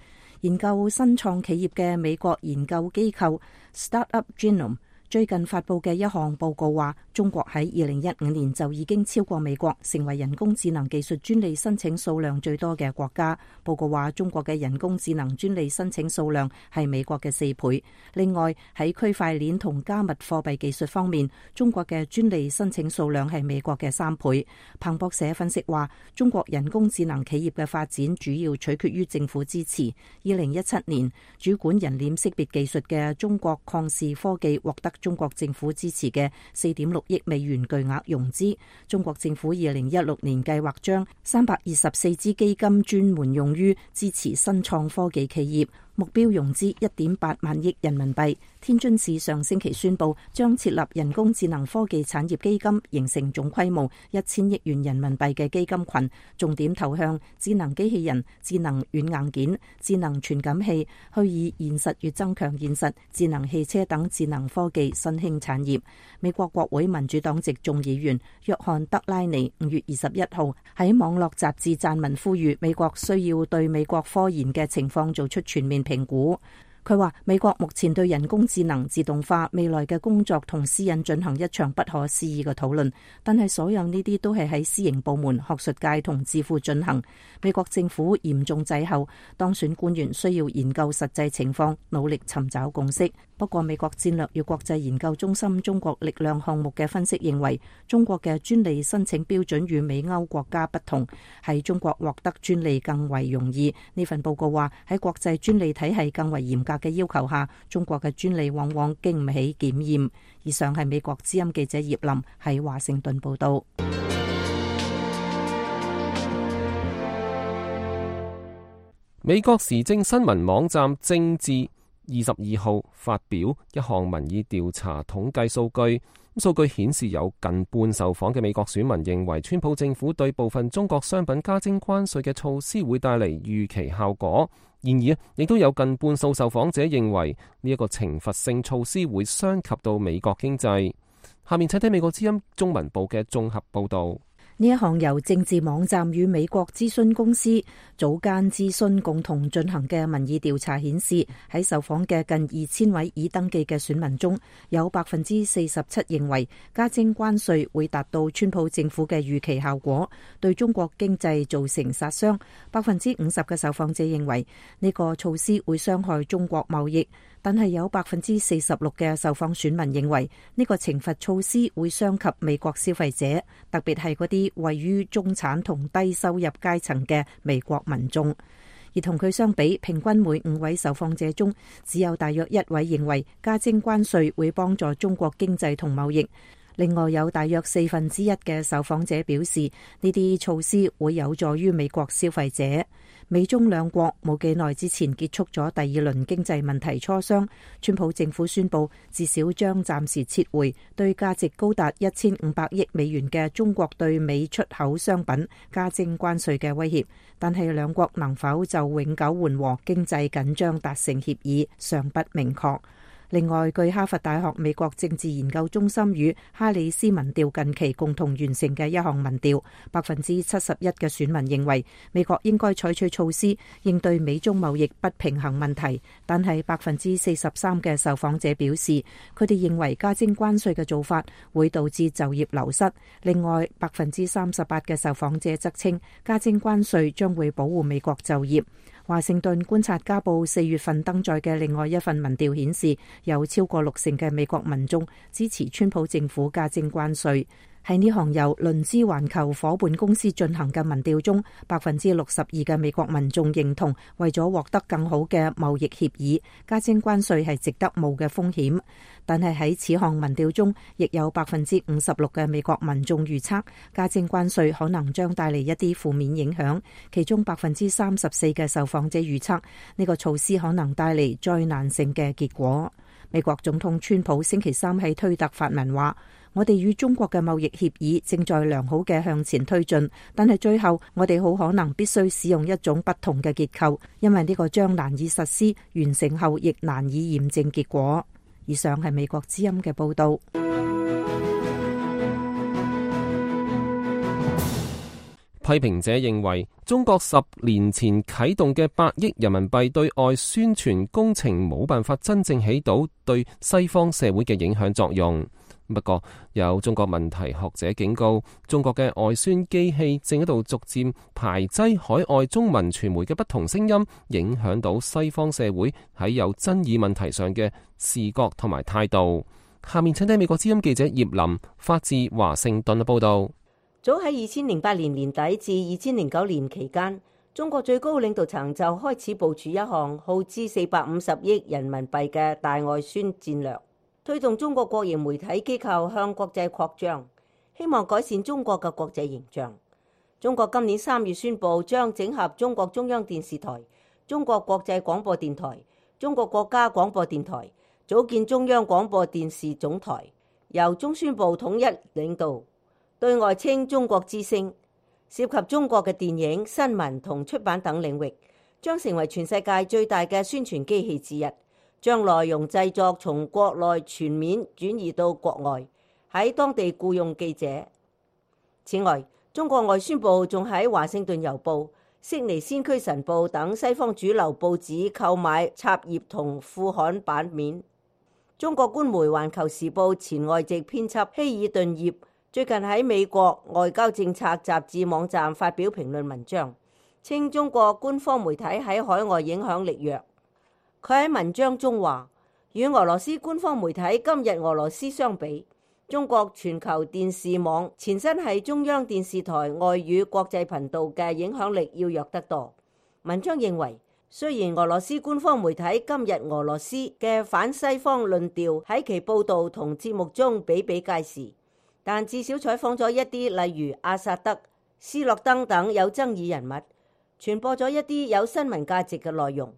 研究新創企業嘅美國研究機構 Startup Genome最近發佈嘅一項報告話，中國喺2015年就已經超過美國，成為人工智能技術專利申請數量最多嘅國家。報告話，中國嘅人工智能專利申請數量係美國嘅4倍。另外，喺區塊鏈同加密貨幣技術方面，中國嘅專利申請數量係美國嘅3倍。彭博社分析話，中國人工智能企業嘅發展主要取決於政府支持。2017年，主管人臉識別技術嘅中國曠視科技獲得中國政府支持嘅4.6億美元巨額融資。中國政府2016年計劃將324支基金專門用於支持新創科技企業，目標融資1.8萬億人民幣。天津市上星期宣布將設立人工智能科技產業基金，形成總規模1000億元人民幣嘅基金群，重點投向智能機器人、智能軟硬件、智能傳感器、虛擬現實與增強現實、智能汽車等智能科技新興產業。美國國會民主黨籍眾議員約翰德拉尼5月21號喺網絡雜誌撰文呼籲美國需要對美國科研嘅情況做出全面評估。佢話美國目前對人工智能、自動化、未來嘅工作同私隱進行一場不可思議嘅討論，但係所有呢啲都係喺私營部門、學術界同智庫進行。美國政府嚴重滯後，當選官員需要研究實際情況，努力尋找共識。不過美國戰略與國際研究中心中國力量項目嘅分析認為，中國嘅專利申請標準與美歐國家不同，喺中國獲得專利更為容易。呢份報告話，喺國際專利體系更為嚴格嘅要求下，中國嘅專利往往經唔起檢驗。以上係美國之音記者葉林喺華盛頓報道。美國時政新聞網站政治22號發表一項民意調查統計數據，數據顯示有近半受訪嘅美國選民認為川普政府對部分中國商品加徵關稅嘅措施會帶嚟預期效果。然而亦都有近半數受訪者認為呢一個懲罰性措施會傷及到美國經濟。下面請睇美國之音中文部嘅綜合報道。呢一項由政治網站與美國諮詢公司早間諮詢共同進行嘅民意調查顯示，喺受訪嘅近2000位已登記嘅選民中，有47%認為加徵關稅會達到川普政府嘅預期效果，對中國經濟造成殺傷。50%嘅受訪者認為呢個措施會傷害中國貿易。但係有46%嘅受訪選民認為呢個懲罰措施會傷及美國消費者，特別係嗰啲位於中產同低收入階層嘅美國民眾。而同佢相比，平均每5位受訪者中，只有大約1位認為加徵關稅會幫助中國經濟同貿易。另外有大約1/4嘅受訪者表示，呢啲措施會有助於美國消費者。美中兩國冇幾耐之前結束咗第2輪經濟問題磋商，川普政府宣布至少將暫時撤回對價值高達1500億美元嘅中國對美出口商品加徵關稅嘅威脅，但係兩國能否就永久緩和經濟緊張達成協議尚不明確。另外，據哈佛大學美國政治研究中心與哈里斯民調近期共同完成嘅一項民調，71%嘅選民認為美國應該採取措施應對美中貿易不平衡問題，但係43%嘅受訪者表示，佢哋認為加徵關稅嘅做法會導致就業流失。另外，38%嘅受訪者則稱加徵關稅將會保護美國就業。華盛頓觀察家報4月份登載嘅另外一份民調顯示，有超過60%嘅美國民眾支持川普政府加徵關稅。喺呢項由倫茲環球夥伴公司進行嘅民調中，62%嘅美國民眾認同為咗獲得更好嘅貿易協議，加徵關稅係值得冒嘅風險。但係喺此項民調中，亦有56%嘅美國民眾預測加徵關稅可能將帶嚟一啲負面影響，其中34%嘅受訪者預測呢個措施可能帶嚟災難性嘅結果。美國總統川普星期三喺推特發文話：我哋與中國嘅貿易協議正在良好嘅向前推進，但係最後我哋好可能必須使用一種不同嘅結構，因為呢個將難以實施，完成後亦難以驗證結果。以上係美國之音嘅報道。批評者認為，中國10年前啟動嘅8億人民幣對外宣傳工程冇辦法真正起到對西方社會嘅影響作用。不過，有中國問題學者警告，中國嘅外宣機器正喺度逐漸排擠海外中文傳媒嘅不同聲音，影響到西方社會喺有爭議問題上嘅視覺同埋態度。下面請聽美國之音記者葉林發自華盛頓嘅報道。早喺2008年年底至2009年期間，中國最高領導層就開始部署一項耗資450億人民幣嘅大外宣戰略，推動中國國營媒體機構向國際擴張，希望改善中國嘅國際形象。中國今年3月宣布將整合中國中央電視台、中國國際廣播電台、中國國家廣播電台，組建中央廣播電視總台，由中宣部統一領導，對外稱中國之聲，涉及中國嘅電影、新聞同出版等領域，將成為全世界最大嘅宣傳機器之一，將內容製作從國內全面轉移到國外，喺當地僱用記者。此外，中國外宣部仲喺華盛頓郵報、悉尼先驅晨報等西方主流報紙購買插頁同副刊版面。中國官媒環球時報前外籍編輯希爾頓葉最近喺美國外交政策雜誌網站發表評論文章，稱中國官方媒體喺海外影響力弱。佢喺文章中話，與俄羅斯官方媒體今日俄羅斯相比，中國全球電視網前身係中央電視台外語國際頻道嘅影響力要弱得多。文章認為，雖然俄羅斯官方媒體今日俄羅斯嘅反西方論調喺其報導同節目中比比皆是，但至少採訪咗一啲例如阿薩德、斯諾登等有爭議人物，傳播咗一啲有新聞價值嘅內容。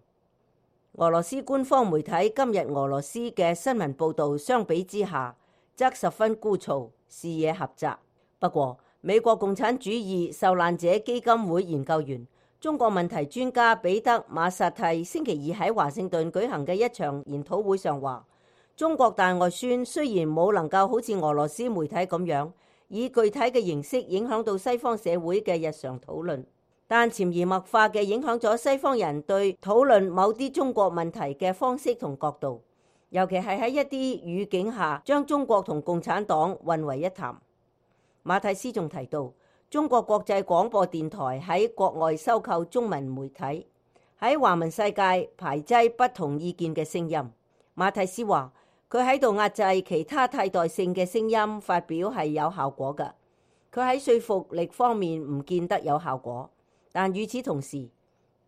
俄羅斯官方媒體今日俄羅斯嘅新聞報導相比之下，則十分枯燥，視野狹窄。不過，美國共產主義受難者基金會研究員、中國問題專家彼得馬薩蒂星期二喺華盛頓舉行嘅一場研討會上話，中國大外宣雖然冇能夠好似俄羅斯媒體咁樣，以具體嘅形式影響到西方社會嘅日常討論，但潛移默化嘅影響咗西方人對討論某啲中國問題嘅方式同角度，尤其係喺一啲語境下將中國同共產黨混為一談。馬蒂斯仲提到，中國國際廣播電台喺國外收購中文媒體，喺華文世界排擠不同意見嘅聲音。馬蒂斯話，佢喺度壓制其他替代性嘅聲音發表係有效果嘅，佢喺說服力方面唔見得有效果。但與此同時，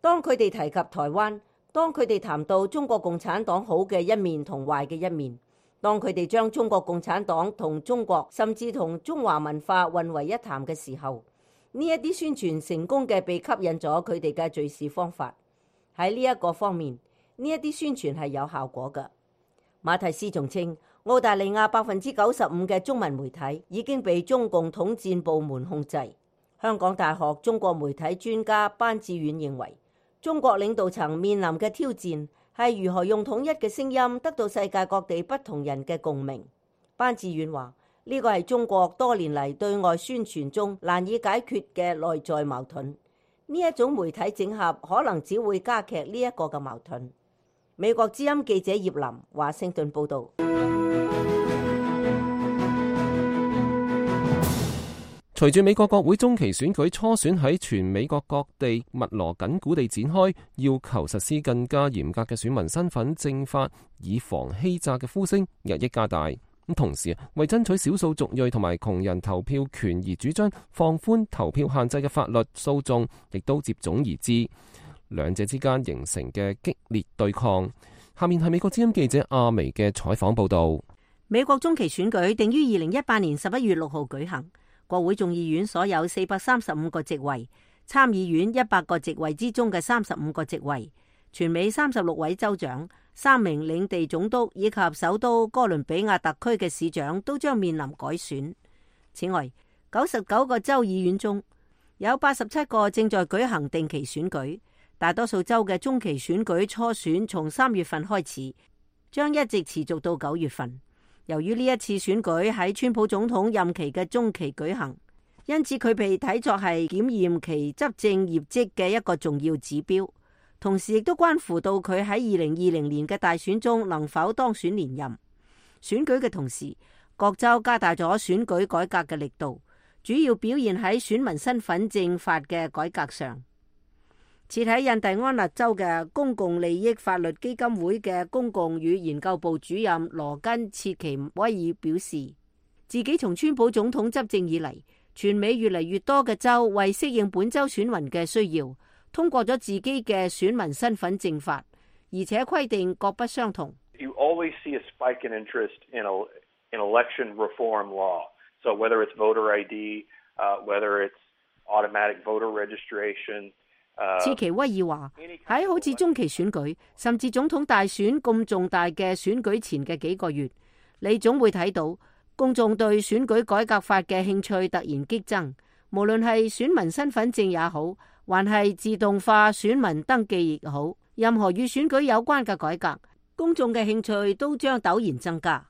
當佢哋提及台灣，當佢哋談到中國共產黨好嘅一面同壞嘅一面，當佢哋將中國共產黨同中國甚至同中華文化混為一談嘅時候，呢一啲宣傳成功嘅被吸引咗佢哋嘅敘事方法。喺呢一個方面，呢一啲宣傳係有效果嘅。馬蒂斯仲稱，澳大利亞95%嘅中文媒體已經被中共統戰部門控制。香港大學中國媒體專家班志遠認為，中國領導層面臨嘅挑戰係如何用統一嘅聲音得到世界各地不同人嘅共鳴。班智遠話：呢個係中國多年嚟對外宣傳中難以解決嘅內在矛盾。呢一種媒體整合可能只會加劇呢一個嘅矛盾。美國之音記者葉林華盛頓報導。隨住美國國會中期選舉初選喺全美國各地密鑼緊鼓地展開，要求實施更加嚴格嘅選民身份證法，以防欺詐嘅呼聲日益加大。咁同時，為爭取少數族裔同埋窮人投票權而主張放寬投票限制嘅法律訴訟，亦都接踵而至，兩者之間形成嘅激烈對抗。下面係美國之音記者阿薇嘅採訪報導。美國中期選舉定於2018年11月6號舉行。國會眾議院所有435個席位，參議院100個席位之中嘅35個席位，全美36位州長、3名領地總督以及首都哥倫比亞特區嘅市長都將面臨改選。此外，99個州議院中有87個正在舉行定期選舉，大多數州嘅中期選舉初選從3月份開始，將一直持續到9月份。由於呢一次選舉喺川普總統任期嘅中期舉行，因此佢被睇作係檢驗其執政業績嘅一個重要指標，同時亦都關乎到佢喺2020年嘅大選中能否當選連任。選舉嘅同時，各州加大咗選舉改革嘅力度，主要表現喺選民身份證法嘅改革上。設喺印第安納州嘅公共利益法律基金會嘅公共與研究部主任羅根切奇威爾表示，自己從川普總統執政以嚟，全美越嚟越多嘅州為適應本州選民嘅需要，通過咗自己嘅選民身份證法，而且規定各不相同。You always see a spike in interest in election reform law. So whether it's voter ID, whether it's automatic voter registration.切奇威爾話：喺好似中期選舉，甚至總統大選咁重大嘅選舉前嘅幾個月，你總會睇到公眾對選舉改革法嘅興趣突然激增。無論係選民身份證也好，還係自動化選民登記亦好，任何與選舉有關嘅改革，公眾嘅興趣都將陡然增加。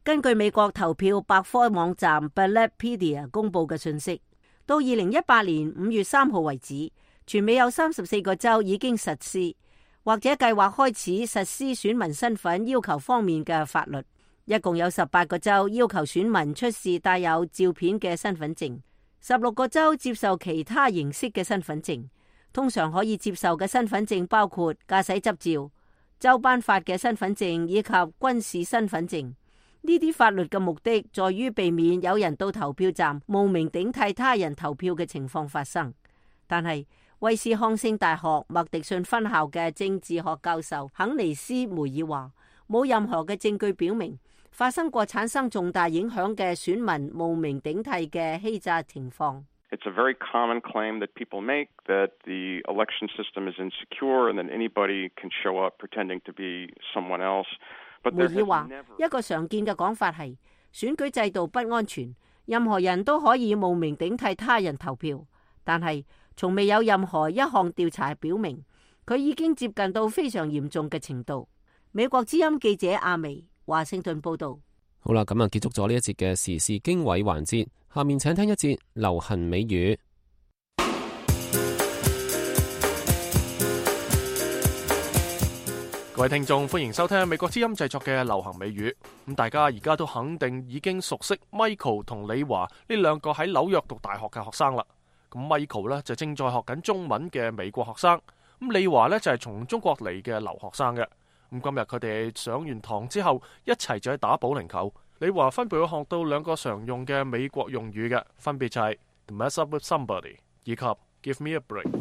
根據美國投票百科網站 Ballotpedia 公佈嘅信息，到2018年5月3號為止，全美有34個州已經實施或者計劃開始實施選民身份要求方面嘅法律，一共有18個州要求選民出示帶有照片嘅身份證，16個州接受其他形式嘅身份證。通常可以接受嘅身份證包括駕駛執照、州頒發嘅身份證以及軍事身份證。呢啲法律嘅目的在於避免有人到投票站冒名頂替他人投票嘅情況發生。但係威斯康星大學麥迪遜分校嘅政治學教授肯尼斯梅爾話，冇任何嘅證據表明發生過產生重大影響嘅選民冒名頂替嘅欺詐情況。It's a very common claim that people make that the election system is insecure and that anybody can show up pretending to be someone else. 梅爾話，一個常見嘅講法係選舉制度不安全，任何人都可以冒名頂替他人投票，但係從未有任何一項調查表明佢已經接近到非常嚴重嘅程度。美國之音記者阿薇華盛頓報道。好啦，咁啊結束咗呢一節嘅時事經緯環節，下面請聽一節流行美語。各位聽眾，歡迎收聽美國之音製作嘅流行美語。咁大家而家都肯定已經熟悉 Michael 同李華呢兩個喺紐約讀大學嘅學生啦。咁 Michael 呢就正在學緊中文嘅美國學生，咁李華呢就係從中國嚟嘅留學生嘅。咁今日佢哋上完堂之後，一齊就去打保齡球。李華分別會學到兩個常用嘅美國用語嘅，分別就係 to mess up with somebody 以及 give me a break。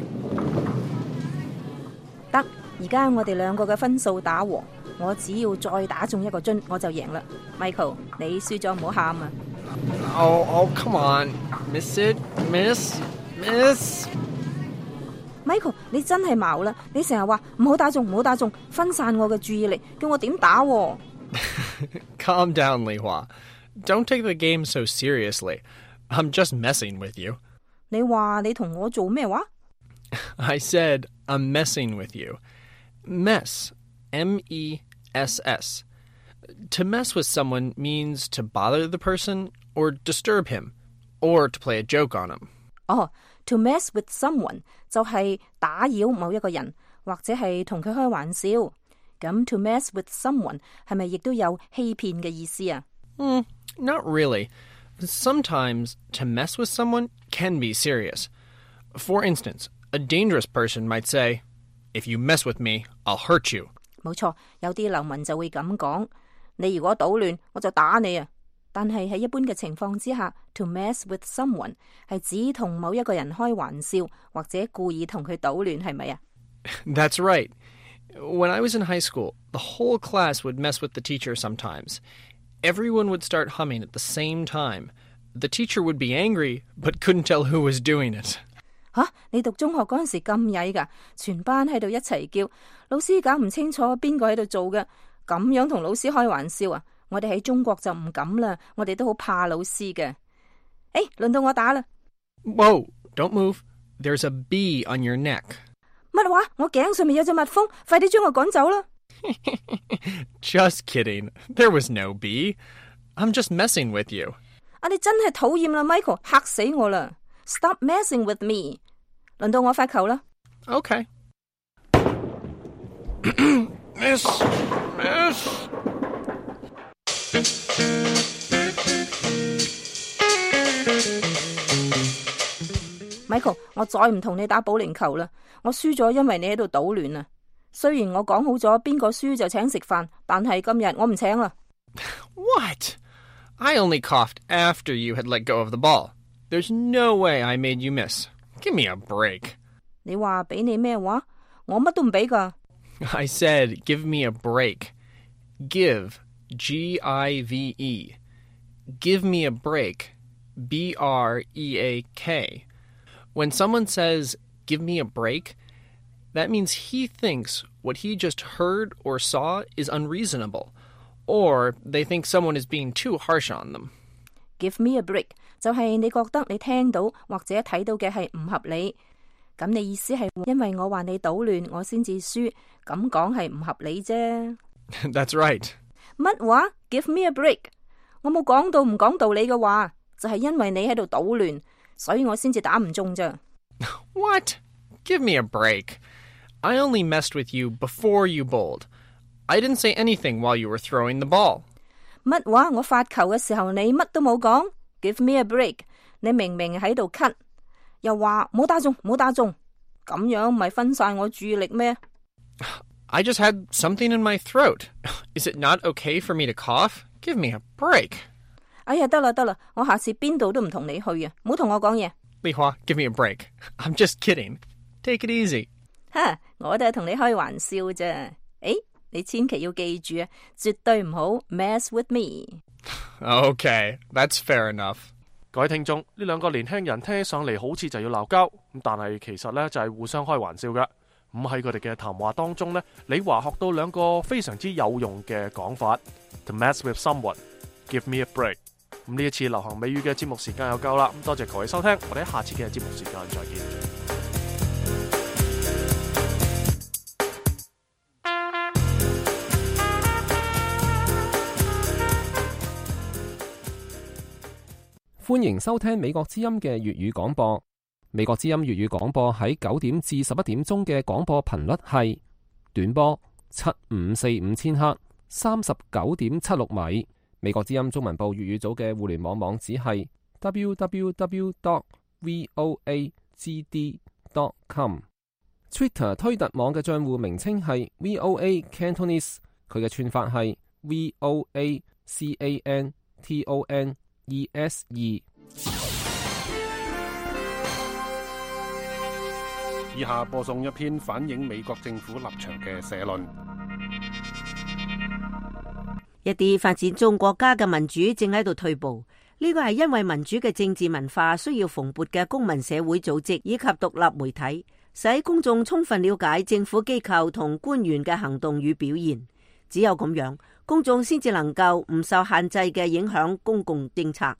得，而家我哋兩個嘅分數打和，我只要再打中一個樽，我就贏啦。Michael， 你輸咗唔好喊啊！Oh, come on, miss it, miss. Michael， 你真係矛啦！你成日話唔好打中，唔好打中，分散我嘅注意力，叫我點打喎？Calm down, Li Hua. Don't take the game so seriously. I'm just messing with you. 你話你同我做咩話？ I said I'm messing with you. Mess, M-E-S-S. To mess with someone means to bother the person or disturb him, or to play a joke on him. To mess with someone 就係打擾某一個人，或者係同佢開玩笑。咁 to mess with someone 係咪亦都有欺騙嘅意思啊？Not really. Sometimes to mess with someone can be serious. For instance, a dangerous person might say, "If you mess with me, I'll hurt you." 冇錯，有啲流民就會咁講，你如果搗亂，我就打你啊！但係喺一般嘅情況之下 ，to mess with someone 係指同某一個人開玩笑，或者故意同佢搗亂，係咪啊？ That's right. When I was in high school, the whole class would mess with the teacher sometimes. Everyone would start humming at the same time. The teacher would be angry, but couldn't tell who was doing it. 你讀中學嗰陣時咁曳㗎，全班喺度一齊叫，老師搞唔清楚邊個喺度做嘅，咁樣同老師開玩笑啊！我哋喺中國就唔敢啦，我哋都好怕老師嘅。輪到我打啦。Whoa, don't move. There's a bee on your neck. 乜話？我頸上面有隻蜜蜂，快啲將我趕走啦！ Just kidding. There was no bee. I'm just messing with you. 你真係討厭啦 ，Michael， 嚇死我啦 ！Stop messing with me。輪到我發球啦。Okay. Miss. Michael， 我再唔同你打保齡球啦，我輸咗，因為你喺度搗亂啊！雖然我講好咗邊個輸就請食飯，但係今日我唔請啦。What? I only coughed after you had let go of the ball. There's no way I made you miss. Give me a break. 你話俾你咩話？我乜都唔俾㗎。I said, give me a break. Give, G-I-V-E. Give me a break, B-R-E-A-K. When someone says, give me a break, that means he thinks what he just heard or saw is unreasonable, or they think someone is being too harsh on them. Give me a break 就係你覺得你聽到或者睇到嘅係唔合理，咁你意思係因為我話你搗亂，我先至輸，咁講係唔合理啫。That's right. 乜話 ？Give me a break？ 我冇講到唔講道理嘅話，就係因為你喺度搗亂，所以我先至打唔中咋。What? Give me a break. I only messed with you before you bowled. I didn't say anything while you were throwing the ball. 乜話？我發球嘅時候你乜都冇講 ？Give me a break！ 你明明喺度咳，又話冇打中，冇打中，咁樣咪分散我注意力咩？ I just had something in my throat. Is it not okay for me to cough? Give me a break. 哎呀，得啦，我下次邊度都唔同你去啊！唔好同我講嘢。李華 give me a break. I'm just kidding. Take it easy. 我都係同你開玩笑啫。你千祈要記住啊，絕對唔好 mess with me。 Okay, that's fair enough. 各位聽眾，呢兩個年輕人聽起上嚟好似就要鬧交，咁但係其實呢就係互相開玩笑㗎。咁喺佢哋嘅談話當中呢，李華學到兩個非常之有用嘅講法 ：to mess with someone, give me a break。咁呢一次流行美語嘅節目時間又夠啦，咁多謝各位收聽，我哋喺下次嘅節目時間再見。歡迎收聽美國之音嘅粵語廣播。美國之音粵語廣播喺9點至11點鐘嘅廣播頻率係短波7545千赫39.76米。美國之音中文部粵語組嘅互聯網網址係 www.voagd.com。Twitter 推特網嘅賬戶名稱係 VOA Cantonese， 佢嘅串法係 VOACANTONESE。以下播送一篇反映美國政府立場嘅社論。一啲發展中國家嘅民主正喺度退步，呢個係因為民主嘅政治文化需要蓬勃嘅公民社會組織以及獨立媒體，使公眾充分了解政府機構同官員嘅行動與表現。只有咁樣，公眾先至能夠唔受限制嘅影響公共政策。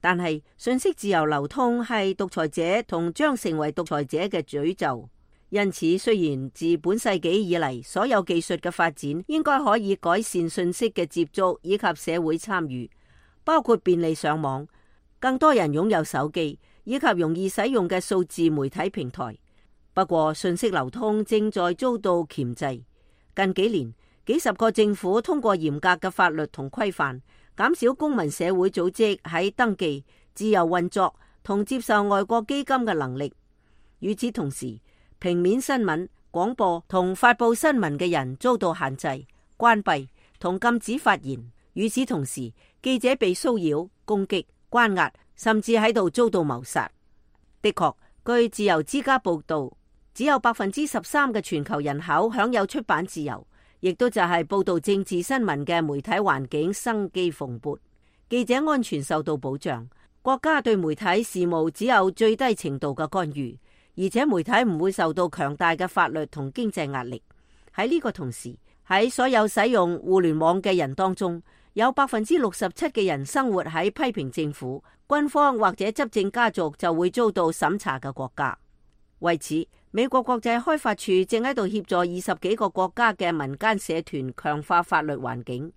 但係信息自由流通係獨裁者同將成為獨裁者嘅詛咒。因此，雖然自本世紀以嚟所有技術嘅發展應該可以改善信息嘅接觸以及社會參與，包括便利上網、更多人擁有手機以及容易使用嘅數字媒體平台。不過，信息流通正在遭到鉗制。近幾年，幾十個政府通過嚴格嘅法律同規範，減少公民社會組織喺登記、自由運作同接受外國基金嘅能力。與此同時，平面新聞、廣播同發佈新聞嘅人遭到限制、關閉同禁止發言。與此同時，記者被騷擾、攻擊、關押，甚至喺度遭到謀殺。的確，據自由之家報道，只有13%嘅全球人口享有出版自由，亦都就係報道政治新聞嘅媒體環境生機蓬勃，記者安全受到保障，國家對媒體事務只有最低程度嘅干預。而且媒體唔會受到強大嘅法律同經濟壓力。喺呢個同時，喺所有使用互聯網嘅人當中，有67%嘅人生活喺批評政府、軍方或者執政家族就會遭到審查嘅國家。為此，美國國際開發署正喺度協助20幾個國家嘅民間社團強化法律環境。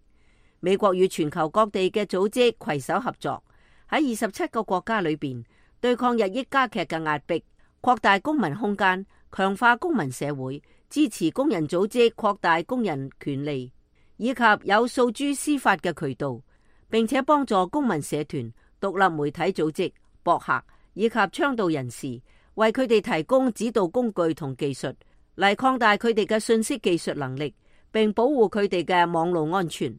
美國與全球各地嘅組織攜手合作，喺27個國家裏邊對抗日益加劇嘅壓迫，擴大公民空間，強化公民社會，支持工人組織擴大工人權利，以及有訴諸司法嘅渠道，並且幫助公民社團、獨立媒體組織、博客以及倡導人士，為佢哋提供指導工具同技術，嚟擴大佢哋嘅信息技術能力，並保護佢哋嘅網絡安全。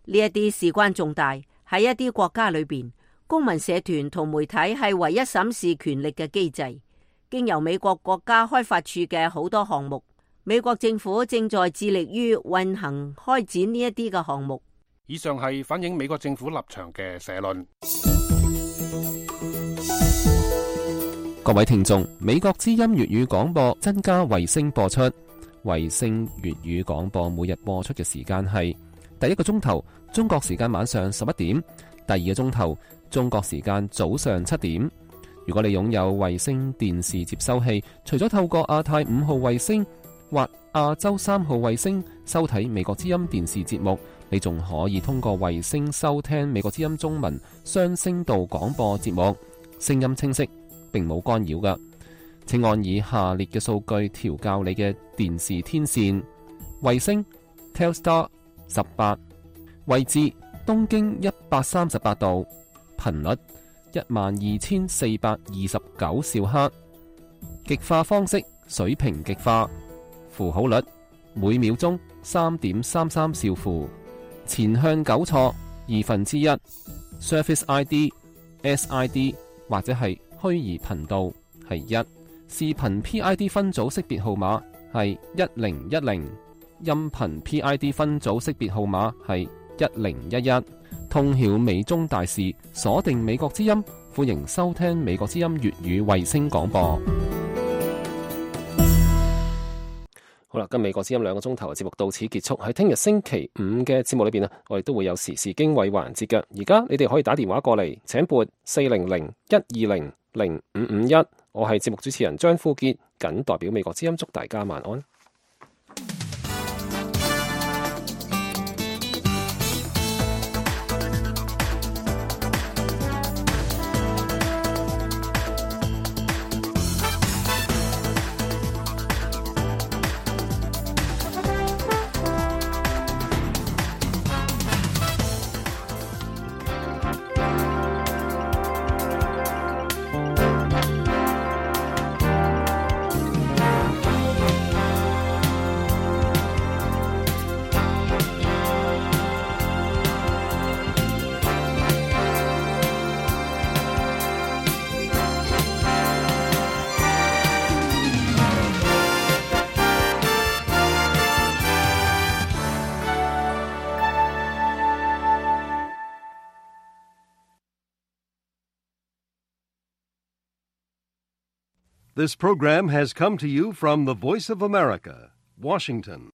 呢一啲事關重大，喺一啲國家裏邊，公民社團同媒體係唯一審視權力嘅機制。經由美國國家開發署嘅好多項目，美國政府正在致力於運行開展呢一啲嘅項目。以上係反映美國政府立場嘅社論。各位聽眾，美國之音粵語廣播增加衛星播出，衛星粵語廣播每日播出嘅時間係第一個鐘頭中國時間晚上11點，第二個鐘頭中國時間早上7點。如果你擁有衛星電視接收器，除咗透過亞太5號衛星或亞洲3號衛星收睇美國之音電視節目，你仲可以通過衛星收聽美國之音中文雙聲道廣播節目，聲音清晰，並冇干擾㗎。請按以下列嘅數據調校你嘅電視天線：衛星 Telstar 18，位置東經138度，頻率12429兆赫，極化方式水平極化，符號率每秒鐘3.33兆符，前向糾錯1/2， Surface ID、SID 或者係虛擬頻道係1，視頻 PID 分組識別號碼係1010，音頻 PID 分組識別號碼係1011。通曉美中大事，鎖定美國之音，歡迎收聽美國之音粵語衛星廣播。好啦，跟美國之音2個鐘頭嘅節目到此結束。喺聽日星期5嘅節目裏邊我哋都會有時事經緯環節嘅。而家你哋可以打電話過嚟，請撥400-120-0551。我係節目主持人張富傑，謹代表美國之音祝大家晚安。This program has come to you from the Voice of America, Washington.